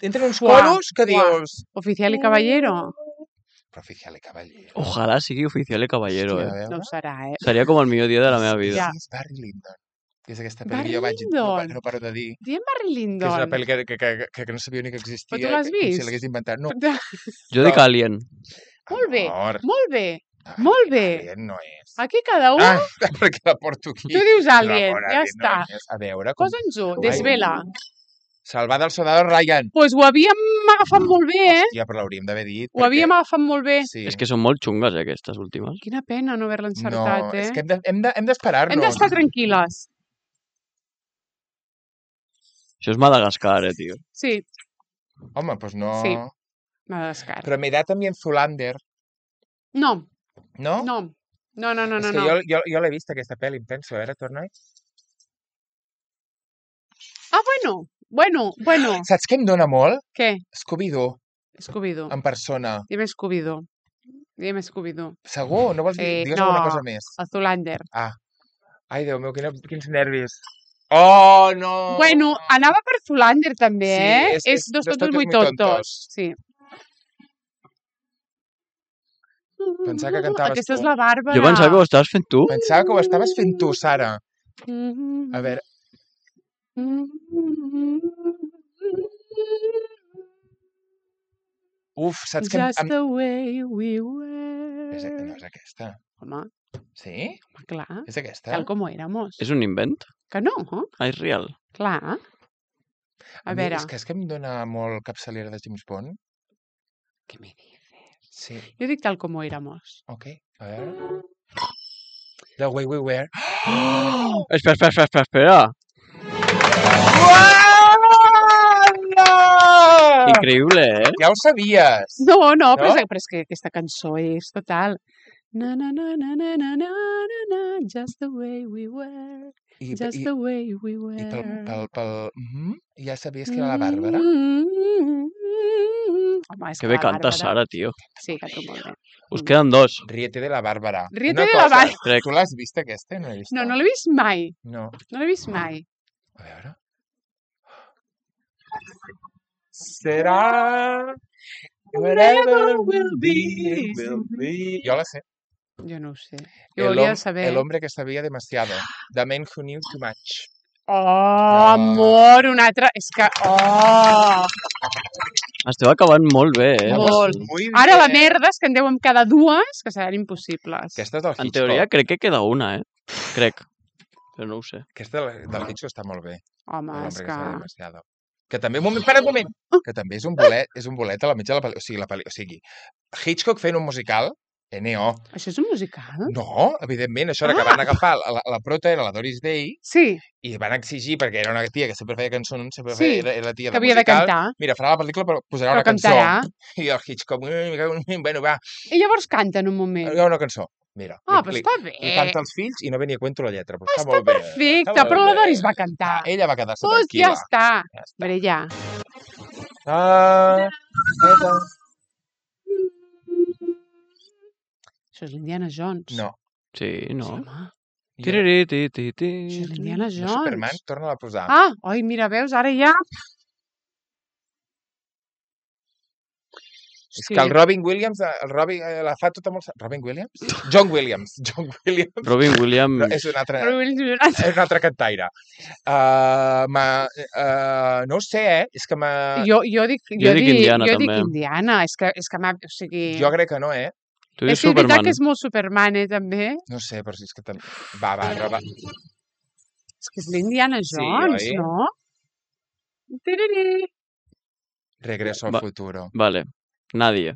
entren uns Uah, coros que uah. dius... Oficial i caballero. Però oficial i caballero. Ojalà sigui oficial i caballero, Hòstia, eh? a veure. No ho serà, eh? Seria com el millor dia de la meva vida. Ja. Sí, és Barry Lyndon. Que és aquesta Barry pel·li que jo vaig... No, pa- Lyndon. no paro de dir. Diem Barry Que és Lyndon. una pel·li que, que, que, que, que no sabia ni que existia. Però tu l'has que- Com vist? si l'hagués inventat. No. Jo dic Alien. Molt bé, Amor. molt bé. Ai, molt bé. Alien no és. Aquí cada un... Ah, perquè la porto aquí. Tu dius No, Alien, amor, ja Alien està. No és. A veure, com... Posa'ns-ho, Ai. desvela. Salvar del soldado Ryan. Doncs pues ho havíem agafat molt bé, eh? Hòstia, però l'hauríem d'haver dit. Ho havíem agafat molt bé. Sí. És que són molt xungues, eh, aquestes últimes. Quina pena no haver-la No, encertat, eh? és que hem de- hem de- hem d'esperar-nos. Hem d'estar tranquil·les. Això és Madagascar, eh, tio. Sí, Home, doncs no... Sí. Madagascar. Però m'he dat amb en Zulander, No, no? no. No, no, no, és no. que no. jo, jo, jo l'he vist, aquesta pel·li, em penso. A veure, torna-hi. Ah, bueno, bueno, bueno. Saps què em dona molt? Què? Scooby-Doo, Scooby-Doo. en persona. Dime Scooby-Doo. Dime Scooby-Doo. Segur? No vols dir? Eh, Digues no. alguna cosa més. El Zoolander. Ah. Ai, Déu meu, quina, quins nervis. Oh, no! Bueno, anava per Zoolander també, Sí, eh? és- És, és dos Dos tontos tontos muy muy tontos. tontos. Sí. Pensava que cantaves Aquesta és tu. la Bàrbara. Jo pensava que ho estaves fent tu. Pensava que ho estaves fent tu, Sara. A veure, uf, saps que... em- Just em- the way we És, no were. és aquesta. Home, Sí? clar, És aquesta? tal como éramos. És un invent? Que no, Ah, és real. clar. A mi- veure, És que, és que em dona molt capçalera de James Bond. què me dices? Sí, Jo dic tal com éramos. ok. A veure. The way we were. Espera, espera, espera, espera, espera. Uala! Increïble, eh? Ja ho sabies. No, no, però, No? és, però és que aquesta cançó és total. Na, na, na, na, na, na, na, na, na, just the way we were, I, just i, the way we i were. pel, pel, pel... Mhm. Ja sabies que era la Bàrbara? Mm. Home, és Que que bé la canta Bàrbara... Sara, tio. Sí, canta molt bé. Us queden dos, Ríete de la Bàrbara. Ríete Una de la cosa, Bàrbara. crec. Tu l'has vist, aquesta? No l'he vist. No, no l'he vist mai. No. No l'he vist mai. A veure. Serà... Whatever will be, will be. Jo la sé. Jo no ho sé. El, Jo hauria hom- de saber. el hombre que sabia demasiado. The man who knew too much. Oh, amor, un altre... És que... Oh! Esteu acabant molt bé, eh? Molt. Muy Ara la bien. merda és que en deuen quedar dues que seran impossibles. Aquesta és del En Hitchcock. teoria crec que queda una, eh? Crec. Però no ho sé. Aquesta del, del Hitchcock està molt bé. Home, El és hombre que que... sabe demasiado. Que també, un moment, para un moment, que també és un bolet, és un bolet a la mitja de la pel·lícula. O sigui, la pel·li, o sigui, Hitchcock fent un musical, N O. Això és un musical? No, evidentment, això era que Ah. van agafar, la, la prota era la Doris Day, Sí, i van exigir, perquè era una tia que sempre feia cançons, sempre Sí, feia, era, era la tia que de havia de musical. cantar. Mira, farà la pel·lícula, però posarà Però una cançó. cantarà. I el Hitchcock, "Ui, me cago en-". bueno, va, I llavors canta en un moment. hi ha una cançó. Mira, Ah, li- però li, està li bé. canta als fills i no venia a cuento la lletra, però està, Està molt bé. perfecte, està molt però la bé. Doris va cantar. Ah, ella va quedar-se Pues tranquil·la. ja està. Ja està. Veure, ja. Ah, eta. Això és l'Indiana Jones. No. Sí, no. Home, Jo- Tiriritititi. això és l'Indiana No, Jones. Superman, torna-la a posar. Ah, oi, mira, veus, ara ja... És que el Robin Williams, el Robin, eh, la fa tota molt... Robin Williams? John Williams. John Williams. Robin Williams... No, és un altre, Però Williams- és un altre cantaire. Uh, ma, uh, no ho sé, eh? És que m'ha... Jo, jo dic, jo, Jo dic Indiana, jo dic també. Indiana. És que, és que m'ha... O sigui... Jo crec que no, eh? Tu és dius que és veritat Superman. que és molt Superman, eh, també. No sé, però si és que també... Va, va, va. És que és l'Indiana Sí, Jones, oi? no? Tiriri. Regreso al Va. futuro. Vale. Nadie.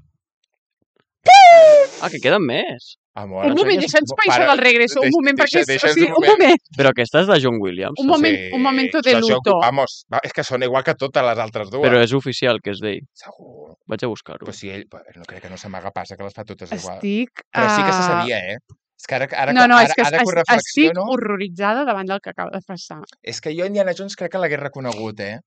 Ah, que queden més. Amor, Un moment, ensenyes- deixa'ns pair Para, això del regreso, un deix- moment, perquè... deixa- és- o deixa'ns sigui, un un moment. moment, Però aquesta és de John Williams. un moment, un momento de això- això- luto. Vamos, va, és que són igual que totes les altres dues. Però és oficial que és d'ell. Segur. Vaig a buscar-ho. Però si ell... No crec que no s'amaga passa, que les fa totes igual. Estic... Però sí que se ah, sabia, eh? És que ara, ara, No, no, ara, és que ara que ho es- estic reflexiono... horroritzada davant del que acaba de passar. És que jo Indiana Jones crec que l'hagués reconegut, eh?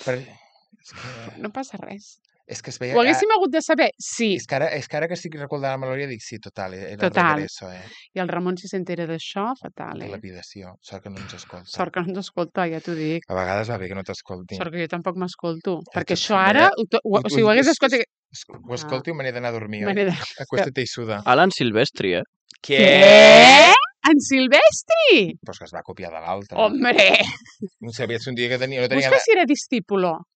Per... És que, No passa res. és que es veia... Ho haguéssim hagut de saber? Sí. És que ara, és que, ara que estic recordant la memòria dic, sí, total, era Total. el regreso, eh? I el Ramon, si s'entera d'això, fatal, De eh? lapidació. Sort que no ens escolta. Sort que no ens escolta, ja t'ho dic. A vegades va bé que no t'escolti. Sort que jo tampoc m'escolto. Ja Perquè tot això també. ara... Ho, to- ho, o sigui, ho hagués escoltat... Ho escolti i me n'he d'anar a dormir, oi? Manera... Acuéstate i suda. Alan Silvestri, eh? Què? En Silvestri? Pues que es va copiar de l'altre. Hombre! Un Silvestri un dia que tenia, no tenia Busca si era discípulo ganes...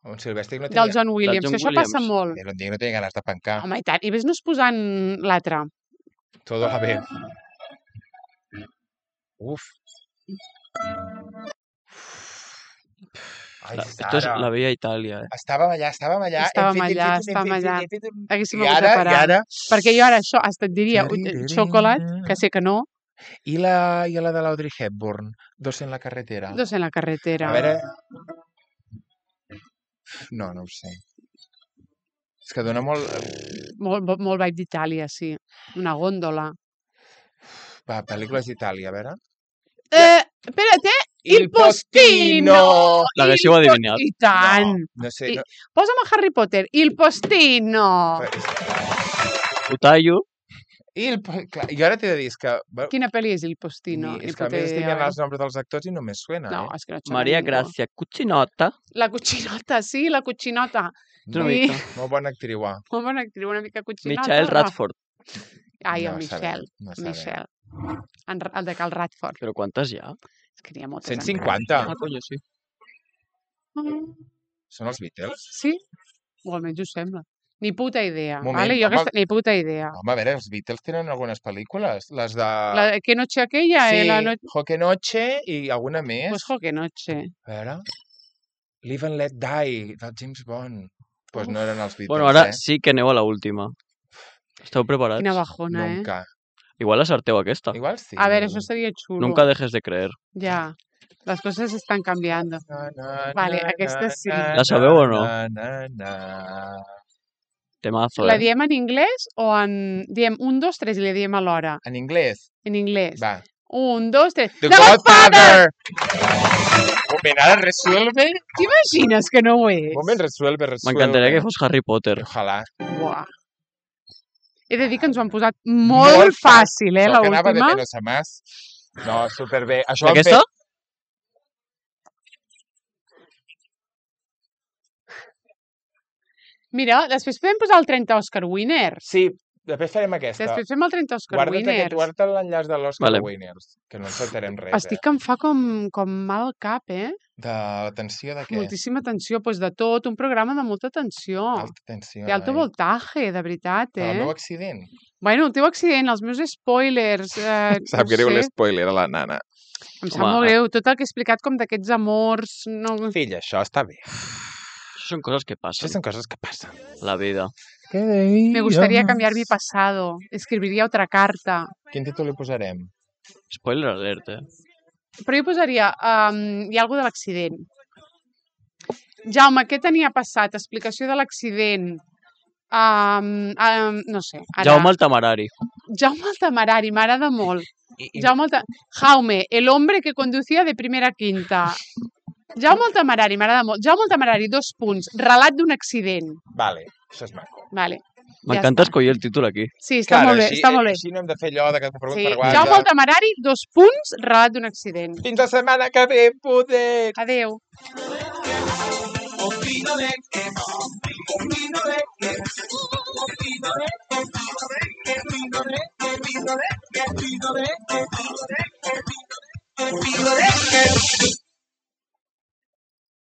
Un Silvestri que no tenia... del John Williams, John que això Williams. passa molt. Era un dia que no tenia ganes de pencar. Home, i tant. I vés-nos posant l'altre. Todo va bé. Uf. Ai, La, esto es Sara. la veia a Itàlia, eh? Estàvem allà, estàvem allà. hem Estàvem fet, hem allà, fet, hem estàvem fet, allà. hem fet un- Haguéssim I hagut de ara, i parar. ara... Perquè jo ara això hasta et diria ui, xocolate, que sé que no, I la, i la de l'Audrey Hepburn, Dos en la carretera. dos en la carretera. A veure... No, no ho sé. És que dona molt... Molt, molt, molt vibe d'Itàlia, sí. Una góndola. Va, pel·lícules d'Itàlia, a veure. Eh, espérate, Il Postino! L'haguéssiu Il po- adivinat. I tant! No sé, I- no, Posa'm a Harry Potter, Il Postino! Ho tallo. Il, po- clar, jo ara t'he de dir, és que... bueno, Quina pel·li és Il Postino? ni, Ni és que a puta més estic idea, mirant eh? els noms dels actors i no me suena, No, eh? és que no et sona Maria ningú. Gràcia Cuccinota. La Cuccinota, sí, la Cuccinota. Una Sí. mica. Molt bona actriu, ah. Molt bona actriu, una mica Cuccinota. Michael Radford. Ai, el No Michel. sabem, no sabem. Michel. En, el de Cal Radford. Però quantes hi ha? És que n'hi ha moltes. cent encara. cinquanta. Ah, coño, sí. Són els Beatles? Sí? O almenys ho sembla. Ni puta idea. Moment, vale? Jo home. aquesta, ni puta idea. Home, a veure, els Beatles tenen algunes pel·lícules. Les de... La de Que noche aquella, sí, eh? La no... Joque Noche i alguna més. Pues jo, que noche. A veure... Live and Let Die, del James Bond. Doncs pues no eren els Beatles, Bueno, ara eh? sí que aneu a l'última. Esteu preparats? Quina bajona, eh? Nunca. Igual acerteu aquesta. Igual sí. A ver, eso sería chulo. Nunca dejes de creer. Ya, las cosas están cambiando. Na, na, Vale, na, aquesta na, sí. na, La sabeu o no? na, na, na. Temazo, La eh? diem en anglès o en... Diem un, dos, tres i la diem alhora? En inglès? En inglès. Va. Un, dos, tres. The The Godfather! Godfather! Un moment, ara resuelve. T'imagines que no ho és? Un moment, resuelve, resuelve. M'encantaria que fos Harry Potter. Ojalà. Buah. He de dir que ens ho han posat molt, Molt fàcil, eh, Això que anava de l'última. menos a más. No, superbé. Això ho han Aquesta? fet... Mira, després podem posar el trenta Oscar Winners. Sí, després farem aquesta. Després fem el trenta Oscar Guarda't aquest, Winners. guarda't l'enllaç de l'Oscar Vale. Winners, que no encertarem res, Estic eh? que em fa com, com mal cap, eh? De l'atenció de què? Moltíssima tensió, doncs de tot, un programa de molta tensió. Alta tensió. De alto eh? voltaje, de veritat, Per eh? el meu accident. Bueno, el teu accident, els meus spoilers... Eh, Sap no greu sé, l'espoiler a la nana. em sap Home, molt greu. Tot el que he explicat com d'aquests amors... No... Fill, això està bé. Això són coses que Això passen. són coses que passen. La vida. Me gustaría cambiar mi pasado. Escribiría otra carta. Quin títol li posarem? Spoiler alert, eh? Però jo posaria... Um, hi ha alguna de l'accident. Jaume, què tenia passat? Explicació de l'accident. Um, um, no sé. Ara... Jaume el temerari. Jaume el temerari, m'agrada molt. I, i... Jaume el te... Jaume, el hombre que conducía de primera a quinta. Jaume el temerari, m'agrada molt. Jaume el temerari, dos punts. Relat d'un accident. Vale, això és maco. Vale. M'encanta està. escollir el títol aquí. Sí, està molt bé, així, està molt bé. Així no hem de fer allò de que te pregunto Sí. per WhatsApp. Jaume el temerari, dos punts, relat d'un accident. Fins la setmana que ve, poder! Adeu. Opino de que, opino de que, opino de que, opino de que, opino de que, opino de que, opino de que, opino de que, opino de que, opino de que.